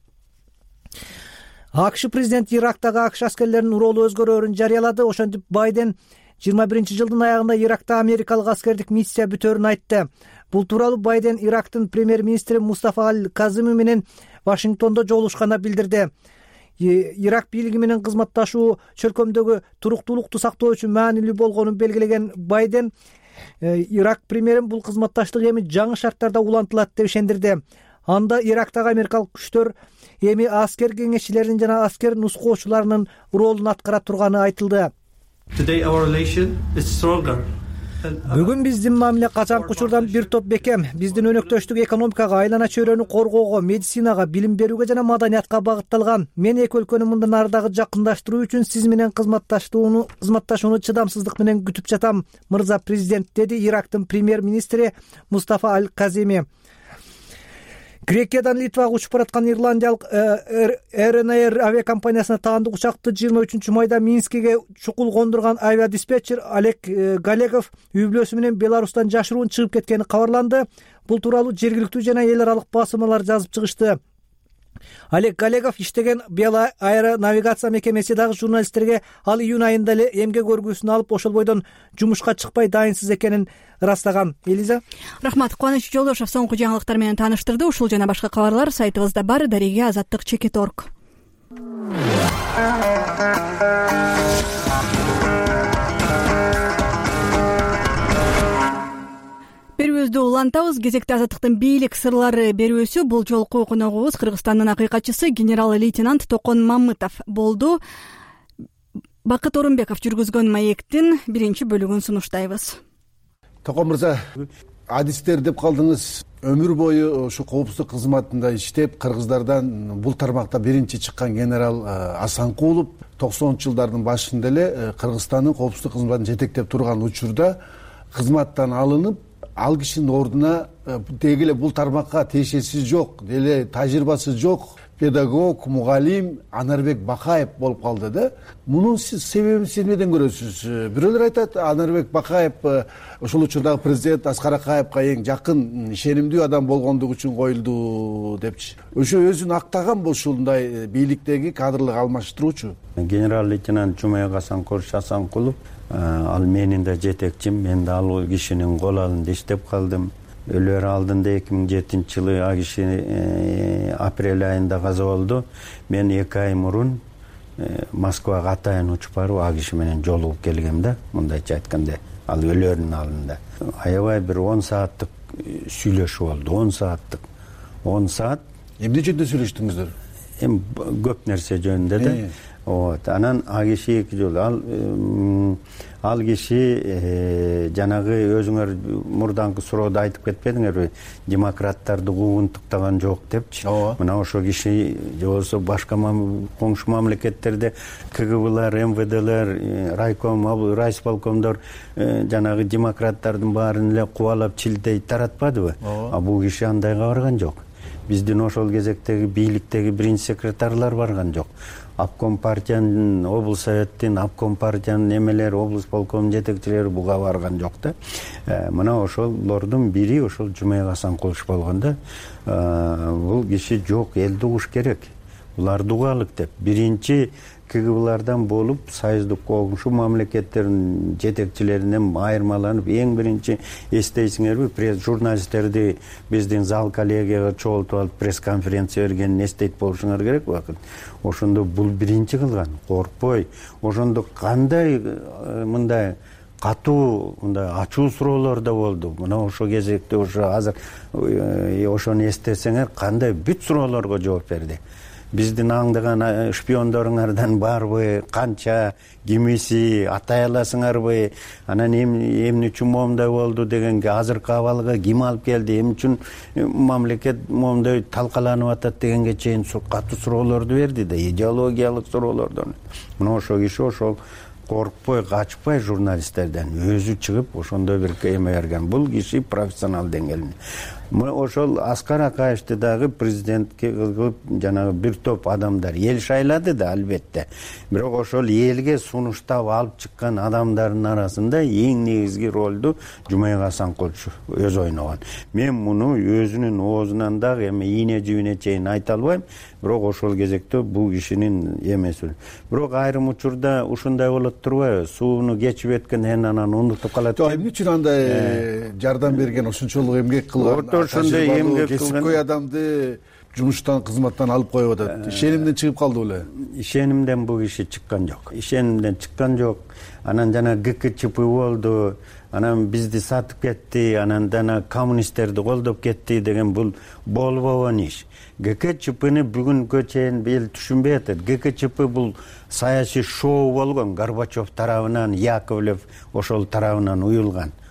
АКШ президенти Ирактагы АКШ аскерлеринин уроолуу өзгөрөөрүн жарыялады. Ошентип Байден 2021-жылдын аягында Иракта америкалык аскердик миссия бүтөөрүн айтты. Бул тууралуу Байден Ирактын премьер-министри Мустафа Аль-Казими менен Вашингтондо жолугушканда билдирди. Ирак бийлиги менен кызматташуу чөлкөмдөгү туруктуулукту сактоо үчүн маанилүү болгонун белгилеген Байден Ирак премьерин бул кызматташтык эми жаңы шарттарда улантылат деп ишендирди. Анда Ирактагы америкалык күчтөр эми аскер кеңешчилеринин жана аскер нускоочуларынын ролун аткара турганы айтылды. Бүгүн биздин мамиле качанкы учурдан бир топ бекем. Биздин өнөктөштүк экономикага, айлана чөйрөнү коргоого, медицинага, билим берүүгө жана маданиятка багытталган. Мен эки өлкөнү мындан ары дагы жакындаштыруу үчүн сиз менен кызматташууну чыдамсыздык менен күтүп жатам, мырза президент, деди Ирактын премьер-министри Мустафа Аль-Казими. Грекиядан Литвага учуп бараткан ирландиялык РНР авиакомпаниясына таандык учакты 23 майда Минскиге чукул кондурган авиадиспетчер Олег Галегов үй бүлөсү менен Беларустан жашыруун чыгып кеткени кабарланды. Бул тууралуу жергиликтүү жана эл аралык басылмалар жазып чыгышты. Олег Галегов иштеген Бела аэронавигация мекемеси дагы журналисттерге ал июнь айында эле эмгек өргүүсүн алып ошол бойдон жумушка чыкпай дайынсыз экенин ырастаган. Элиза. Рахмат. Кубаныч Жолдошов соңку жаңылыктар менен тааныштырды. Ушул жана башка кабарлар сайтыбызда бар. Дареге Азаттык.org. Берүүбүздү улантабыз. Кезекте Азаттыктын бийлик сырлары берүүсү. Бул жолку коногубуз Кыргызстандын акыйкатчысы генерал-лейтенант Токон Мамытов болду. Бакыт Орунбеков жүргүзгөн маектин биринчи бөлүгүн сунуштайбыз. Токон мырза, адистер деп калдыңыз. Өмүр бою ушу коопсуздук кызматында иштеп, кыргыздардан бул тармакта биринчи чыккан генерал Асанкулов 90-жылдардын башында эле Кыргызстандын коопсуздук кызматын жетектеп турган учурда кызматтан алынып, ал кишинин ордуна деги эле бул тармакка тиешеси жок, деле тажрыйбасы жок педагог, мугалим Анарбек Бакаев болуп калды да. Мунун себебин сиз эмнеден көрөсүз? Бирөөлөр айтат, Анарбек Бакаев ошол учурдагы президент Аскар Акаевка эң жакын, ишенимдүү адам болгондугу үчүн коюлду депчи. Ошо өзүн актаган ушундай бийликтеги кадрлык алмаштыруучу. Генерал-лейтенант Жумаек Асанкулов, ал менин да жетекчим, мен да ал кишинин кол алында иштеп калдым. Өлөр алдында 2007-жылы а киши апрель айында каза болду. Мен 2 ай мурун Москвага атайын учуп барып а киши менен жолугуп келгем да, мындайча айтканда, ал өлөрүнүн алдында. Аябай бир 10 сааттык сүйлөшүү болду, 10 саат. Эмне жөнүндө сүйлөштүңүздөр? Эми көп нерсе жөнүндө да. Анан а киши 2 жол ал киши жанагы өзүңөр мурдаңкы суроодо айтып кетпедиңерби, демократтарды куугунтуктаган жок депчи. Мына ошо киши же болбосо башка коңшу мамлекеттерде КГБлар, МВДлер, райком, райисполкомдор жанагы демократтардын баарын эле кубалап чилтей таратпадыбы? А бул киши андайга барган жок. Биздин ошол кезектеги бийликтеги биринчи секретарлар барган жок. Обком партиянын, облус советтин, обком партиянын эмелери, облус полкомунун жетекчилери буга барган жок да. Мына ошолордун бири ошол Жумаек Асанкулов болгон да. Бул киши жок, элди угуш керек. Буларды угалык деп. Биринчи КГБлардан болуп, союздук коңшу мамлекеттердин жетекчилеринен айырмаланып, эң биринчи эстейсиңерби, журналисттерди биздин зал коллегияга чогултуп алып пресс-конференция бергенин эстейт болушуңар керек убакыт. Ошондо бул биринчи кылган, коркпой. Ошондо кандай мындай катуу, мындай ачуу суроолор да болду. Мына ошол кезекте ошо азыр ошону эстесеңер, кандай бүт суроолорго жооп берди. биздин аңдыган шпиондоруңардан барбы, канча, кимиси, атай аласыңарбы, анан эмне үчүн моундай болду дегенге, азыркы абалга ким алып келди, эмне үчүн мамлекет моундай талкаланып атат дегенге чейин катуу суроолорду берди да, идеологиялык суроолордон. Мына ошол киши ошол коркпой, качпай журналисттерден өзү чыгып ошондой бир эме берген. Бул киши профессионал деңгээлинде. Ошол Аскар Акаевди дагы президентке кылып жанагы бир топ адамдар эл шайлады да, албетте. Бирок ошол элге сунуштап алып чыккан адамдардын арасында эң негизги ролду Жумаек Асанкулович өзү ойногон. Мен муну өзүнүн оозунан дагы эме ийне жибине чейин айта албайм, бирок ошол кезекте бул кишинин эмеси. Бирок айрым учурда ушундай болот турбайбы? Сууну кечип өткөндөн анан унутуп калат. Эмне үчүн андай жардам берген, ошончолук эмгек кылган, ошондой эмгек кесипкөй адамды жумуштан, кызматтан алып коюп атат. Ишенимден чыгып калды беле? Ишенимден бул киши чыккан жок. Ишенимден чыккан жок. Анан жана ГКЧП болду, анан бизди сатып кетти, анан жана коммунисттерди колдоп кетти деген бул болбогон иш. ГКЧПны бүгүнкү чейин эл түшүнбөй атат. ГКЧП бул саясий шоу болгон, Горбачев тарабынан, Яковлев ошол тарабынан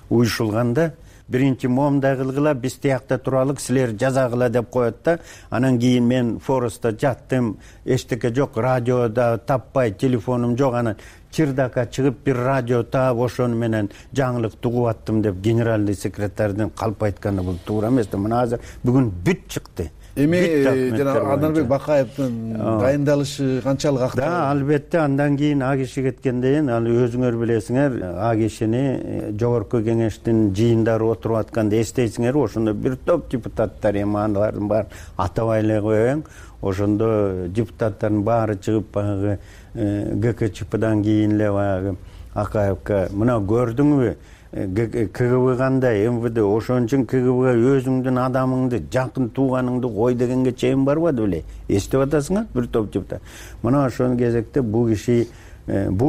уюшулганда биринчи моундай кылгыла, биз тиякта туралык, силер жазагыла деп коет да. Анан кийин мен Форестта жаттым, эчтеке жок, радиода таппай, телефонум жок, анан чырдакка чыгып бир радио таап ошону менен жаңылык тугуп аттым деп генеральный секретардын калп айтканы бул туура эмес да. Мына азыр бүгүн бүт чыкты. Эми жана Анарбек Бакаевдин дайындалышы канчалык актуал? Да, албетте, андан кийин А киши кеткенден ал өзүңөр билесиңер, А кишини жогорку кеңештин жыйындары отуруп атканда эстейсиңер, ошондо бир топ депутаттар, эми алардын баарын атабай эле коеюн, ошондо депутаттардын баары чыгып баягы ГКЧПдан кийин эле баягы Акаевка мына көрдүңбү, КГБ кандай, МВД ошон үчүн КГБга өзүңдүн адамыңды, жакын тууганыңды кой дегенге чейин барбады беле? Эстеп атасыңар бир топ депутат. Мына ошол кезекте бул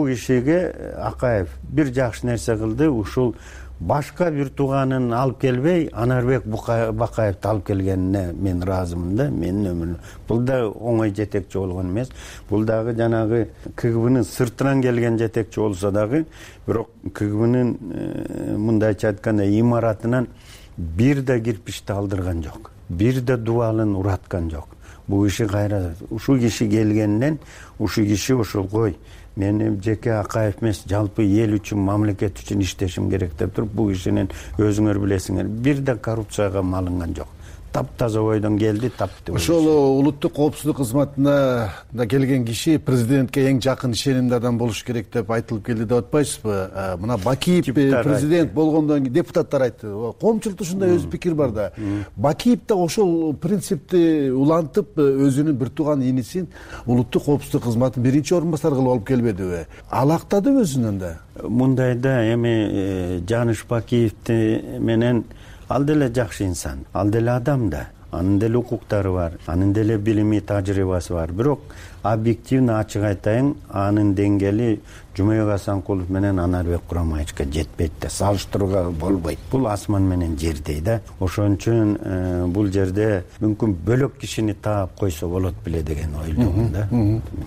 кишиге Акаев бир жакшы нерсе кылды, ушул башка бир тууганын алып келбей, Анарбек Бакаевди алып келгенине мен ыраазымын да, менин өмүрүм. Бул да оңой жетекчи болгон эмес. Бул дагы жанагы КГБнын сыртынан келген жетекчи болсо дагы, бирок КГБнын мындайча айтканда имаратынан бир да кирпичти алдырган жок, бир да дубалын ураткан жок. Бул киши кайра ушул киши келгенинен, ушул киши ошол кой, мен жеке Акаев эмес, жалпы эл үчүн, мамлекет үчүн иштешим керек деп туруп, бул кишинин өзүңөр билесиңер, бир да коррупцияга малынган жок. Таптаза ойдон келди, тапты. Ошол улуттук коопсуздук кызматына да келген киши президентке эң жакын ишенимдүү адам болуш керек деп айтылып келди деп атпайсызбы? Мына Бакиев президент болгондон кийин депутаттар айтты. Коомчулукта ушундай өз пикир бар да. Бакиев да ошол принципти улантып, өзүнүн бир тууган инисин улуттук коопсуздук кызматын биринчи орун басар кылып алып келбедиби? Алактадыбы өзүнөн да? Мындай да, эми Жаныш Бакиевти менен ал деле жакшы инсан, ал деле адам да, анын деле укуктары бар, анын деле билими, тажрыйбасы бар. Бирок объективно ачык айтайын, анын деңгээли Жумаек Асанкулов менен Анарбек Курамаевичке жетпейт да, салыштырууга болбойт. Бул асман менен жердей да. Ошон үчүн бул жерде мүмкүн бөлөк кишини таап койсо болот беле деген ойдомун да.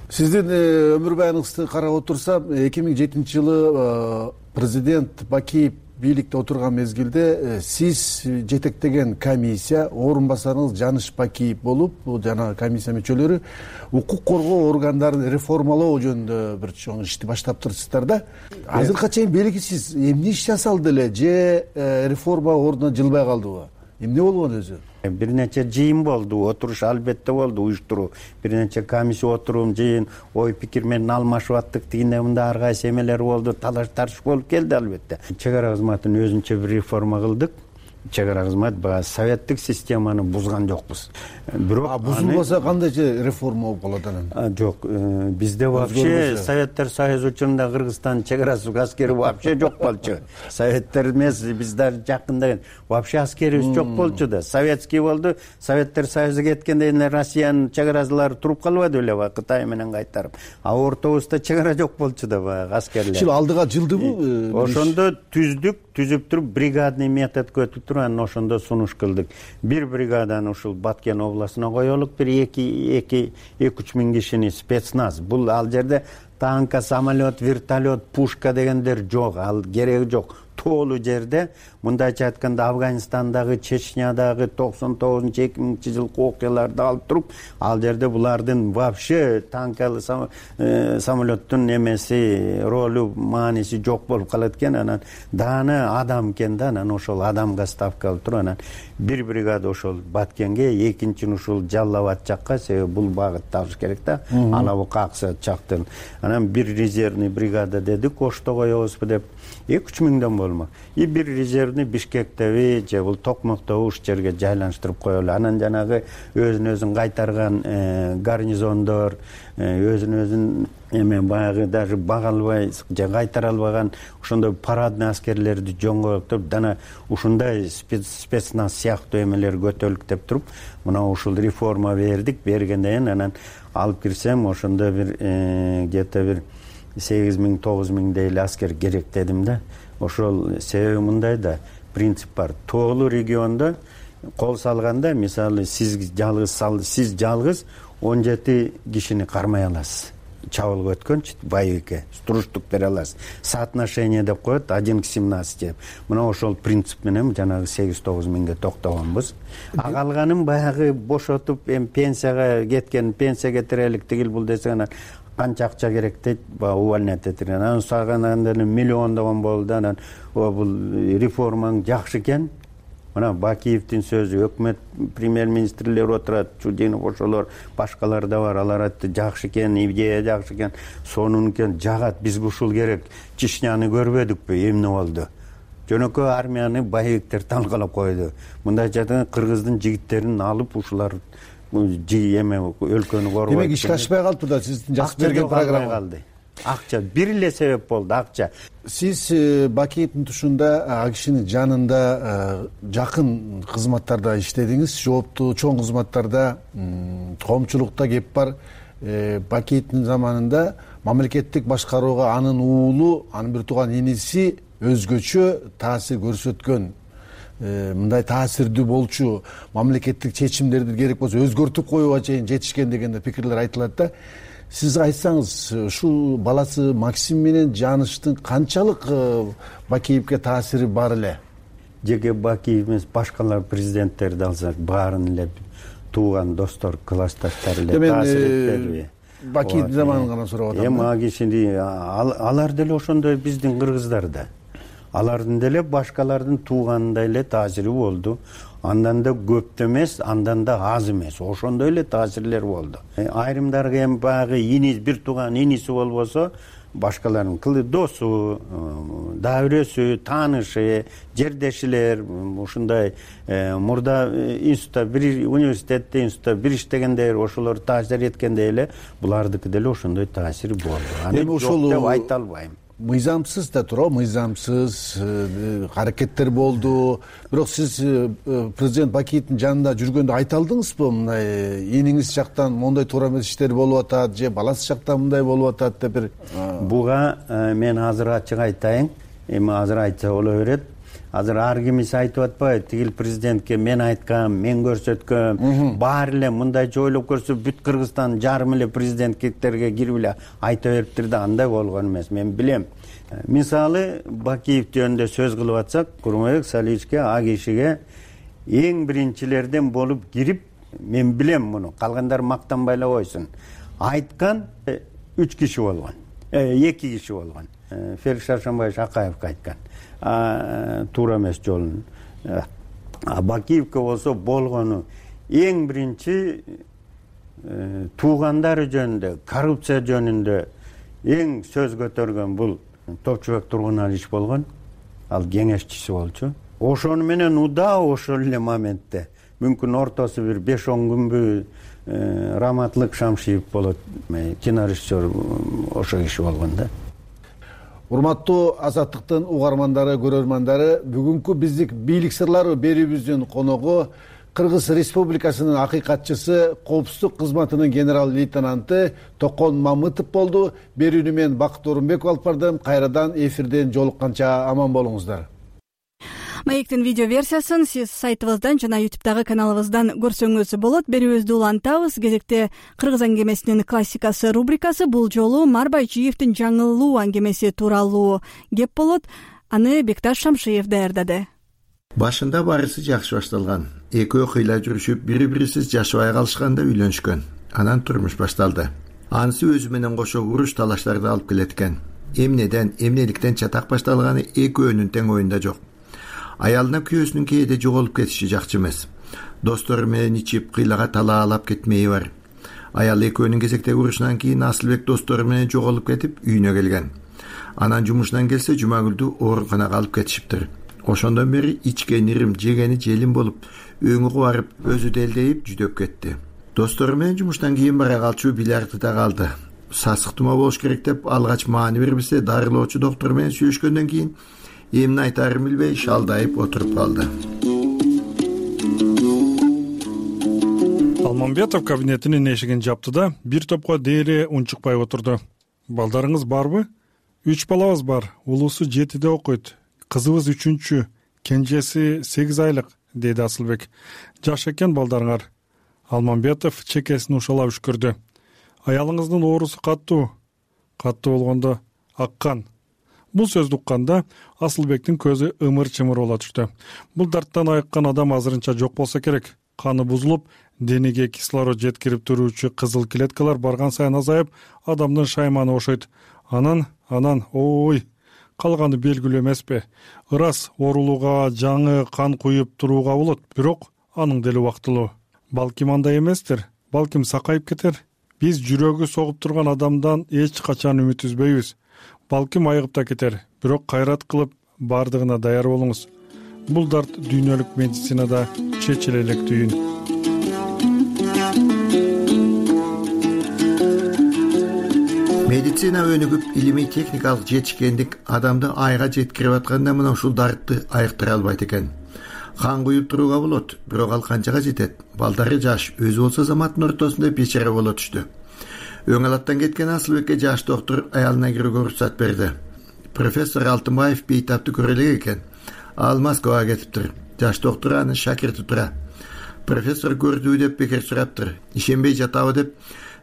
Сиздин өмүр баяныңызды карап отурсам, 2007-жылы президент Бакиев бийликте отурган мезгилде сиз жетектеген комиссия, орун басарыңыз Жаныш Бакиев болуп, жана комиссия мүчөлөрү укук коргоо органдарын реформалоо жөнүндө бир чоң ишти баштап турсуздар да. Азыркыга чейин белгисиз эмне иш жасалды эле же реформа ордуна жылбай калдыбы? Эмне болгон өзү? Бир нече жыйын болду, отуруш албетте болду, уюштуруу. Бир нече комиссия отурум, жыйын, ой пикир менен алмашып аттык, тигиндей мындай ар кайсы эмелер болду, талаш тартыш болуп келди албетте. Чек ара кызматын өзүнчө бир реформа кылдык. Чек ара кызмат баягы советтик системаны бузган жокпуз. Бирок бузулбаса кандайча реформа болуп калат анан? Жок, бизде вообще Советтер Союзу учурунда Кыргызстан чек арасы аскери вообще жок болчу. Советтер эмес, биздер жакында вообще аскерибиз жок болчу да. Советский болду, Советтер Союзу кеткенден кийин Россиянын чек аралары туруп калбады беле, Кытай менен кайтарып. А ортобузда чек ара жок болчу да баягы аскерлер. Алдыга жылдыбы? Ошондо түзүп туруп бригадный метод өтүп туруп анан ошондо сунуш кылдык. Бир бригаданы ушул Баткен областына коелук, бир 2-3 миң кишини спецназ. Бул ал жерде танка, самолет, вертолет, пушка дегендер жок, ал кереги жок. Тоолуу жерде, мындайча айтканда Афганистандагы, Чечнядагы 99-2000 жылкы окуяларды алып туруп, ал жерде булардын вообще танкалы самолеттун немеси, ролу, мааниси жок болуп калат экен. Анан дааны адам экен да, анан ошол адамга ставка алып туруп, анан бир бригада ошол Баткенге, экинчини ушул Жалал Абад жакка, себеби бул багытты алыш керек да, Алабука, Аксай жактан. Анан бир резервный бригада дедик, Ошто коебузбу деп, 2-3 миңден болмок. И бир резервный Бишкектеби же бул Токмоктогу уш жерге жайланыштырып коелу. Анан жанагы өзүн кайтарган гарнизондор, өзүн эме баягы даже бага албай же кайтара албаган ошондой парадный аскерлерди жоңгоюп туруп, жана ушундай спецназ сыяктуу эмелер көтөрүлүктеп туруп, мына ушул реформа бергенден кийин анан алып кирсем, ошондо бир где-то бир 8-9 миңдей эле аскер керек дедим да. Ошол себеби мындай да, принцип бар. Тоолуу региондо кол салганда, мисалы сиз жалгыз 17 кишини кармай аласыз. Чабуулга өткөнчү боевикке туруштук бере аласыз. Соотношение деп коет 1:17 деп. Мына ошол принцип менен жанагы 8-9 миңге токтогонбуз. Калганын баягы бошотуп, пенсияга кеткен, пенсия кетирелик тигил бул десе, анан канча акча керек дейт, увольнять этирген. Анан саганда миллиондогон болду. Анан бул реформаң жакшы экен. Мына Бакиевдин сөзү, өкмөт премьер-министрлер отурат, Чудинов ошолор, башкалар да бар, алар айтты жакшы экен, идея жакшы экен, сонун экен, жагат, бизге ушул керек. Чечняны көрбөдүкпү, эмне болду? Жөнөкөй армияны боевиктер талкалап койду. Мындайча айтканда Кыргыздын жигиттерин алып ушулар эме өлкөнү коргойт. Демек ишке ашпай калды да, сиздин жазып берген программа калды. Акча бир эле себеп болду, акча. Сиз Бакиевдин тушунда ал кишинин жанында жакын кызматтарда иштедиңиз, жооптуу чоң кызматтарда, коомчулукта кеп бар. Бакиевдин заманында мамлекеттик башкарууга анын уулу, анын бир тууган иниси өзгөчө таасир көрсөткөн, мындай таасирдүү болчу, мамлекеттик чечимдерди керек болсо өзгөртүп коюуга чейин жетишкен деген пикирлер айтылат да. Сиз айтсаңыз, ушул баласы Максим менен Жаныштын канчалык Бакиевге таасири бар эле? Жеке Бакиев эмес, башкалар президенттерди алсак, баарын эле тууган достор, классташтар эле таасир этпедиби? Бакиевдин заманын гана сурап атам. Эми ал кишини, алар деле ошондой биздин кыргыздар да. Алардын деле башкалардын тууганындай эле таасири болду. Андан да көп эмес, андан да аз эмес. Ошондой эле таасирлер болду. Айрымдарга эми баягы бир тууган иниси болбосо, башкалардын досу, дабирөсү, таанышы, жердешилер, ушундай мурда институтта, бир университетте, институтта бир иштегендер, ошолор таасир эткендей эле булардыкы деле ошондой таасири болду. Эми ошол деп айта албайм. Мыйзамсыз да туурабы, мыйзамсыз аракеттер болду. Бирок сиз президент Бакиевдин жанында жүргөндө айта алдыңызбы, мындай иниңиз жактан моундай туура эмес иштер болуп атат, же баласы жактан мындай болуп атат деп бир? Буга мен азыр ачык айтайын, эми азыр айтса боло берет. Азыр ар кимиси айтып атпайбы, тигил президентке мен айткам, мен көрсөткөм, баары эле мындайча ойлоп көрсө бүт Кыргызстан жарым эле президенттиктерге кирип эле айта бериптир да, андай болгон эмес, мен билем. Мисалы Бакиев жөнүндө сөз кылып атсак, Курманбек Салиховичке, а кишиге эң биринчилерден болуп кирип, мен билем муну, калгандар мактанбай эле койсун. Айткан 3 киши болгон, 2 киши болгон. Ферик Шаршенбаевич Акаевге айткан. Туура эмес жолун. Бакиевке болсо болгону эң биринчи туугандары жөнүндө, коррупция жөнүндө эң сөз көтөргөн бул Топчубек Тургуналович болгон. Ал кеңешчиси болчу. Ошону менен уда ошол эле моментте мүмкүн ортосу бир 5-10 күнбү Раматлык Шамшиев болот, кинорежиссер, ошо киши болгон да. Урматтуу Азаттыктын угармандары, көрөрмандары, бүгүнкү биздик бийлик сырлары берүүбүздүн коногу Кыргыз Республикасынын акыйкатчысы, коопсуздук кызматынын генерал-лейтенанты Токон Мамытов болду. Берүүнү мен Бакыт Орунбеков алып бардым. Кайрадан эфирден жолукканча аман болуңуздар. Маектин видео версиясын сиз сайтыбыздан жана YouTube'дагы каналыбыздан көрсөңүз болот. Берүүбүздү улантабыз. Кезекте Кыргыз аңгемесинин классикасы рубрикасы. Бул жолу Марбайчиевдин жаңылуу аңгемеси тууралуу кеп болот. Аны Бекташ Шамшиев даярдады. Башында барысы жакшы башталган. Экөө кыйла жүрүшүп, бири-бирисиз жашабай калышканда үйлөнүшкөн. Анан турмуш башталды. Анысы өзү менен кошо уруш талаштарды алып келеткен. Эмнеликтен чатак башталганы экөөнүн тең оюнда жок. Аялына күйөөсүнүн кээде жоголуп кетиши жакчы эмес. Достору менен ичип, кыйлага талаалап кетмеи бар. Аял экөөнүн кезектеги урушунан кийин Асылбек достору менен жоголуп кетип, үйүнө келген. Анан жумушунан келсе Жумагүлдү ооруканага алып кетишиптир. Ошондон бери ичкен ирим, жегени желим болуп, өңү кубарып, өзү делдейип жүдөп кетти. Достору менен жумуштан кийин бара калчу бильярдта калды. Сасык тума болуш керек деп алгач маани бербесе, дарылоочу доктор менен сүйлөшкөндөн кийин эмне айтарын билбей шалдайып отуруп калды. Алмамбетов кабинетинин эшигин жапты да бир топко дээре унчукпай отурду. Балдарыңыз барбы? 3 балабыз бар. Улуусу 7-де окуйт. Кызыбыз 3-чү, кенжеси 8 айлык, деди Асылбек. Жаш экен балдарыңар. Алмамбетов чекесин ушалап үшкүрдү. Аялыңыздын оорусу каттуу болгондо аккан. Бул сөздү укканда Асылбектин көзү ымыр-чымыр боло түштү. Бул дарттан айыккан адам азырынча жок болсо керек. Каны бузулуп, денеге кислород жеткирип туруучу кызыл клеткалар барган сайын азайып, адамдын шайманы ошойт. Анан, ой, калганы белгилүү эмеспи? Ырас оорулууга жаңы кан куюп турууга болот, бирок анын дели убактылуу. Балким андай эместир, балким сакайып кетер. Биз жүрөгү согуп турган адамдан эч качан үмүт үзбөйбүз. Балким айыгып да кетер, бирок кайрат кылып бардыгына даяр болуңуз. Бул дарт дүйнөлүк медицинада чечиле элек түйүн. Медицина өнүгүп, илимий техникалык жетишкендик адамды айга жеткирип атканда мына ушул дартты айыктыра албайт экен. Кан куюп турууга болот, бирок ал канчага жетет? Балдары жаш, өзү болсо заматтын ортосунда бечара боло түштү. Өңалаттан кеткен Асылбекке жаш доктор аялына кирүүгө уруксат берди. Профессор Алтынбаев бейтапты көрө элек экен. Ал Москвага кетиптир. Жаш доктор аны шакирти тура. Профессор көрдүбү деп бекер сураптыр. Ишенбей жатабы деп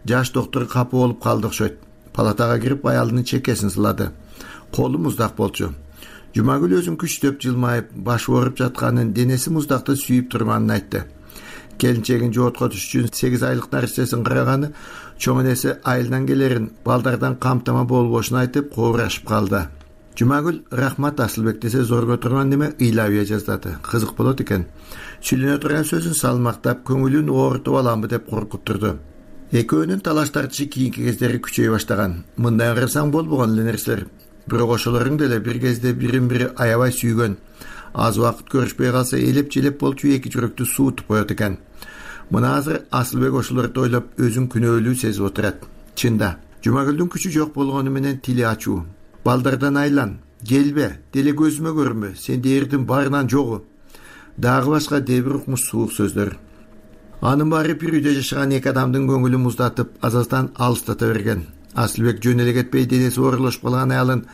жаш доктор капы болуп калды окшойт. Палатага кирип аялдын чекесин сылады. Колу муздак болчу. Жумагүл өзүн күчтөп жылмайып, башы ооруп жатканын, денеси муздакты сүйүп турганын айтты. Келинчегин жоотко түшүш үчүн 8 айлык нарсесин караганы, чоң энеси айылдан келерин, балдардан камтама болбошун айтып, коорашып калды. Жумагүл рахмат Асылбек десе зорго турган неме ыйлабыя жаздады. Кызык болот экен. Сүйлөнө турган сөзүн салмактап, көңүлүн оорутуп аламбы деп коркуттурду. Экөөнүн талаш тартышы кийинки кездери күчөй баштаган. Мындай карасаң болбогон эле нерселер. Бирок ошолордун деле бир кезде бирин-бири аябай сүйгөн. Аз убакыт көрүшпөй калса элеп-желеп болчу эки жүрөктү суутуп коет экен. Мына азыр Асылбек ошолорду ойлоп өзүн күнөөлүү сезип отурат. Чында, Жумагүлдүн күчү жок болгону менен тили ачуу. Балдардан айлан, келбе, деле көзүмө көрүнбө, сен дээрдин барынан жогу. Дагы башка дебир укмуш суук сөздөр. Анын баары бир үйдө жашаган эки адамдын көңүлүн муздатып, азаздан алыстата берген. Асылбек жөн эле кетпей денеси оорулашып калган аялын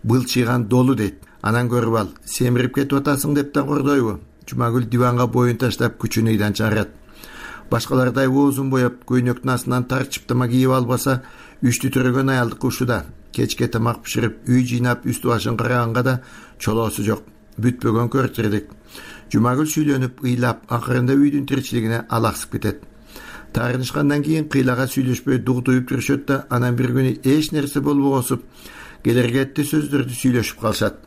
былчыйган долу дейт. Анан көрүп ал, семирип кетип атасың деп да кордойбу. Жумагүл диванга боюн таштап күчүн ыйдан чыгарат. Башкалардай оозун боеп, көйнөктүн астынан тарчып тама кийип албаса, үчтү төрөгөн аялдыкы ушуда. Кечке тамак бышырып, үй жыйнап, үстү башын караганга да чолоосу жок. Бүтпөгөн көртүрдүк. Жумагүл сүйлөнүп, ыйлап, акырында үйдүн тиричилигине алаксып кетет. Таарынышкандан кийин кыйлага сүйлөшпөй дугдуюп жүрүшөт да, анан бир күнү эч нерсе болбогосуп, келергетти сөздөрдү сүйлөшүп калышат.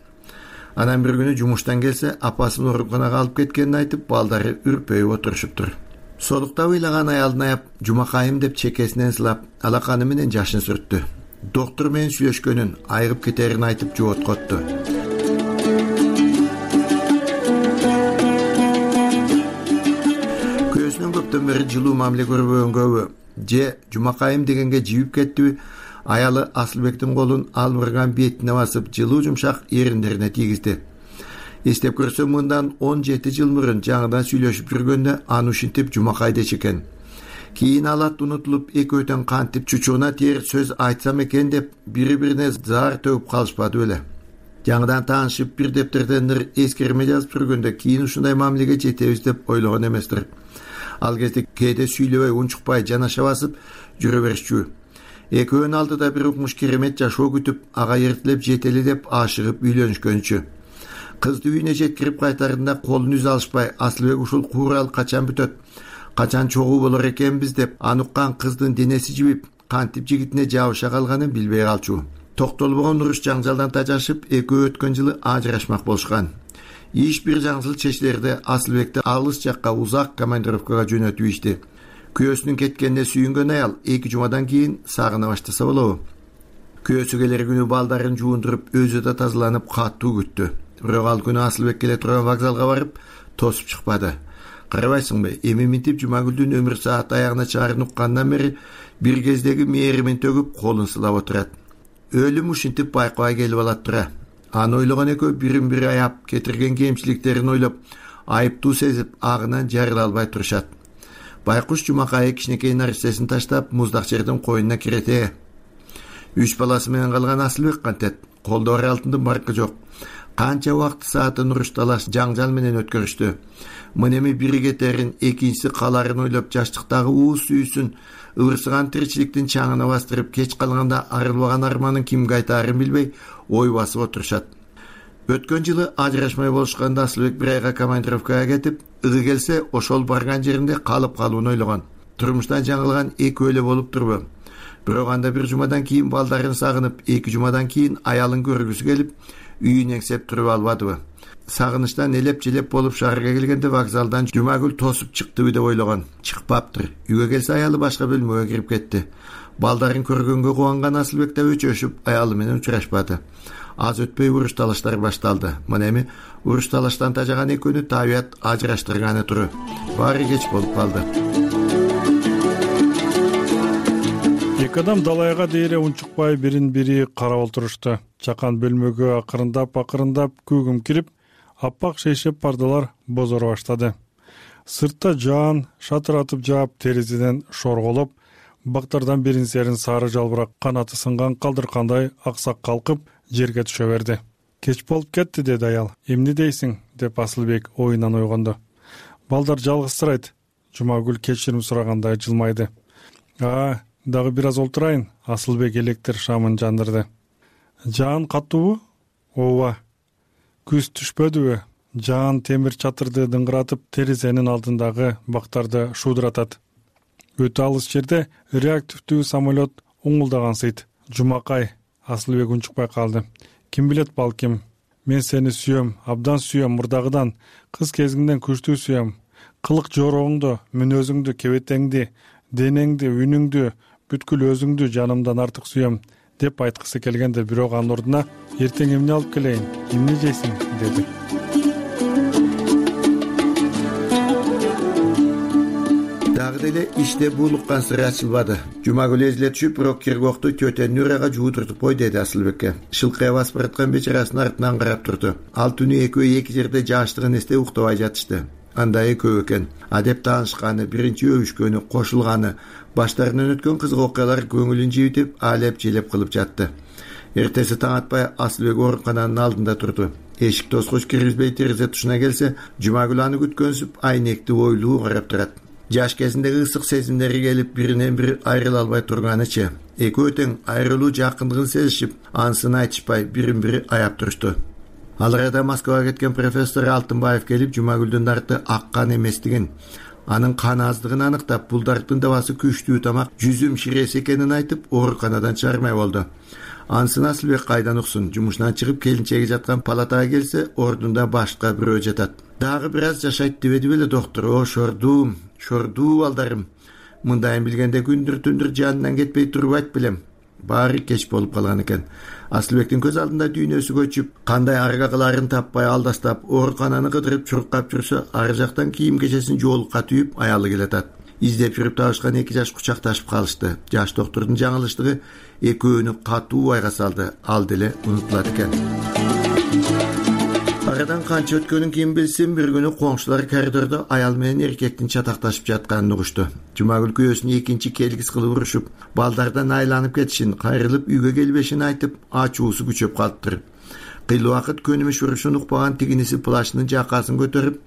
Анан бир күнү жумуштан келсе, апасын ооруканага алып кеткенин айтып, балдары үрпөйүп отурушуптур. Солуктап ыйлаган аялдын аяп, Жумакайым деп чекесинен сылап, алаканы менен жашын сүрттү. Доктор менен сүйлөшкөнүн, айыгып кетерин айтып жооткотту. Көзүнөн көптөн бери жылуу мамиле көрбөгөнгөбү, же Жумакайым дегенге жибип кеттиби, аялы Асылбектин колун албырган бетине басып, жылуу жумшак эриндерине тийгизди. Эстеп көрсөм, мындан 17 жыл мурун жаңыдан сүйлөшүп жүргөндө аны ушинтип Жумакай дечи экен. Кийин алат унутулуп, экөөтөн кантип чучугуна тээр сөз айтсам экен деп бири-бирине заар төгүп калышпады беле. Жаңыдан таанышып бир дептерден эскерме жазып жүргөндө кийин ушундай мамилеге жетебиз деп ойлогон эместир. Ал кезде кээде сүйлөбөй, унчукпай, жанаша басып жүрө беришчү. Экөөнүн алдыда бир укмуш керемет жашоо күтүп, ага эртелеп жетели деп ашыгып үйлөнүшкөнчү. Кызды үйүнө жеткирип кайтарында колун үз алышпай, Асылбек ушул куурал качан бүтөт, качан чогуу болор экенбиз деп ануккан кыздын денеси жибип, кантип жигитине жабыша калганын билбей калчу. Токтолбогон уруш жаңжалдан тажашып, экөө өткөн жылы ажырашмак болушкан. Иш бир жаңсыл чечилерде Асылбекти алыс жакка узак командировкага жөнөтүп ишти. Күйөөсүнүн кеткенине сүйүнгөн аял 2 жумадан кийин сагына баштаса болобу. Күйөөсү келер күнү балдарын жуундуруп, өзү да тазаланып каттуу күттү. Бирок ал күнү Асылбек келе турган вокзалга барып, тосуп чыкпады. Карабайсыңбы, эми минтип Жумагүлдүн өмүр саат аягына чаарын уккандан бери бир кездеги мээримин төгүп, колун сылап отурат. Өлүм ушинтип байкабай келип алат тура. Аны ойлогон экөө бирин бири аяп, кетирген кемчиликтерин ойлоп, айыптуу сезип, агынан жарыла албай турушат. Байкуш Жумакай кичинекей нарсесин таштап, муздак жердин койнуна кирете. 3 баласы менен калган Асылбек кантет, колдо бар алтындын баркы жок. Канча убакыт саатын уруш талаш жаңжал менен өткөрүштү. Мынеми бири кетерин, экинчиси каларын ойлоп, жаштыктагы уус сүйүүсүн, ырсыган тиричиликтин чаңына бастырып, кеч калганда арылбаган арманын кимге айтаарын билбей, ой басып отурушат. Өткөн жылы ажырашмай болушканда Асылбек бир айга командировкага кетип, ыгы келсе ошол барган жеринде калып калууну ойлогон. Турмуштан жаңылган экөө эле болуп турбу. Бирок анда 1 жумадан кийин балдарын сагынып, 2 жумадан кийин аялын көргүсү келип, үйүн эңсеп туруп албадыбы. Сагынычтан элеп-желеп болуп шаарга келгенде вокзалдан Жумагүл тосуп чыктыбы деп ойлогон. Чыкпаптыр. Үйгө келсе аялы башка бөлмөгө кирип кетти. Балдарын көргөнгө кубанган Асылбек да өчөшүп, аялы менен учурашпады. Аз өтпөй уруш талаштар башталды. Мына эми уруш талаштан тажаган экөөнү табият ажыраштырганы туру. Баары кеч болуп калды. Эки адам далайга дейре унчукпай бирин-бири карап олтурушту. Чакан бөлмөгө акырындап көгүм кирип, аппак шейшеп пардалар бозоро баштады. Сыртта жаан шатыратып жаап, терезеден шорголоп, бактардан бирин-серин сары жалбырак канаты сынган калдыркандай аксак калкып, жерге түшө берди. Кеч болуп кетти, деди аял. Эмне дейсиң? Деп Асылбек оюнан ойгонду. Балдар жалгызсырайт. Жумагүл кечирим сурагандай жылмайды. Дагы бир аз олтурайын. Асылбек электр шамын жандырды. Жаан каттуубу? Ооба. Күз түшпөдүбү? Жаан темир чатырды дыңгыратып, терезенин алдындагы бактарды шуудуратат. Өтө алыс жерде реактивдүү самолет уңулдагансыйт. Жумакай. Асылбек унчукпай калды. Ким билет, балким. Мен сени сүйөм, абдан сүйөм мурдагыдан. Кыз кезиңден күчтүү сүйөм. Кылык жоробуңду, мүнөзүңдү, кебетеңди, денеңди, үнүңдү, бүткүл өзүңдү жанымдан артык сүйөм деп айткысы келгенде, бирок анын ордуна эртең эмне алып келейин, эмне жейсиң деди. Дагы деле иште буулуккан сыры ачылбады. Жумагүл эзиле түшүп, бирок киргокту төтөн нурага жуудуртуп кой, деди Асылбекке. Шылкыя басып бараткан бечарасын артынан карап турду. Ал түнү экөө эки жерде жааштыгын эстеп уктабай жатышты. Анда экөө экен. Адеп таанышканы, биринчи өбүшкөнү, кошулганы, баштарынан өткөн кызык окуялар көңүлүн жибитип, алеп-желеп кылып жатты. Эртеси таң атпай Асылбек оорукананын алдында турду. Эшик тоскоч киргизбей терезе тушуна келсе, Жумагүл аны күткөнсүп, айнекти ойлуу карап турат. Жаш кезиндеги ысык сезимдери келип, биринен бири айрыла албай турганычы. Экөө тең айрылуу жакындыгын сезишип, ансын айтышпай бирин-бири аяп турушту. Ал арада Москвага кеткен профессор Алтынбаев келип, Жумагүлдүн дарты аккан эместигин, анын кан аздыгын аныктап, бул дарттын дабасы күчтүү тамак, жүзүм ширesi экенин айтып, ооруканадан чыгармай болду. Ансын Асылбек кайдан уксун? Жумушунан чыгып, келинчеги жаткан палатага келсе, ордунда башка бирөө жатат. Дагы бир аз жашайт дебеди беле доктор? О, шордуу балдарым. Мындайын билгенде күндүр-түндүр жанынан кетпей турбайт белем. Баары кеч болуп калган экен. Асылбектин көз алдында дүйнөсү көчүп, кандай арга кыларын таппай алдастап, оорукананы кыдырып чуркап жүрсө, ары жактан кийим кечесин жоолукка түйүп, аялы келатат. Издеп жүрүп табышкан эки жаш кучакташып калышты. Жаш доктордун жаңылыштыгы экөөнү катуу айга салды. Ал деле унутулат экен. Арадан канча өткөнүн ким билсин, бир күнү коңшулар коридордо аял менен эркектин чатакташып жатканын угушту. Жумагүл күйөөсүн экинчи келгис кылып урушуп, балдардан айланып кетишин, кайрылып үйгө келбешин айтып, ачуусу күчөп калыптыр. кыйла убакыт көнүмүш урушун укпаган тигиниси плащынын жакасын көтөрүп,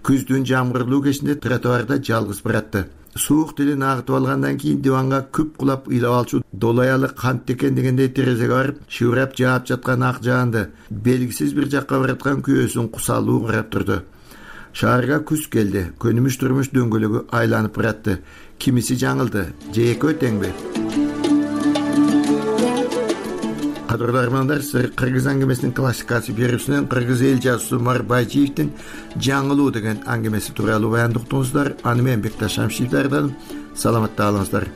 күздүн жамгырлуу кечинде тротуарда жалгыз баратты. Суук тилин агытып алгандан кийин диванга күп кулап ыйлап алчу долаялы кант экен дегендей терезеге барып, шыбырап жаап жаткан ак жаанды, белгисиз бир жакка бараткан күйөөсүн кусалуу карап турду. Шаарга күз келди. Көнүмүш турмуш дөңгөлөгү айланып баратты. Кимиси жаңылды, же экөө теңби? Кадырлуу армандар, кыргыз аңгемесинин классикасы берүүсүнөн кыргыз эл жазуусу Марбайжиевдин жаңылуу деген аңгемеси тууралуу баянды уктуңуздар. Аны мен Бекташ Шамшиев даярдадым. Саламатта калыңыздар.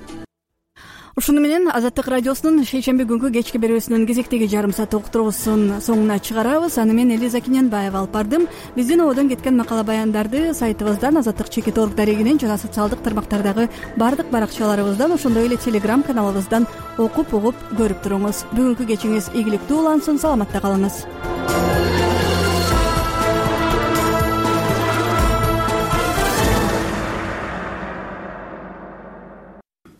Ушуну менен Азаттык радиосунун шейшемби күнгү кечки берүүсүнүн кезектеги жарым саат уктуруусун соңуна чыгарабыз. Аны мен Элиза Киненбаева алып бардым. Биздин ободон кеткен макала баяндарды сайтыбыздан, Азаттык.org дарегинен жана социалдык тармактардагы бардык баракчаларыбыздан, ошондой эле Telegram каналыбыздан окуп угуп көрүп туруңуз. Бүгүнкү кечиңиз ийгиликтүү улансын, саламатта калыңыз.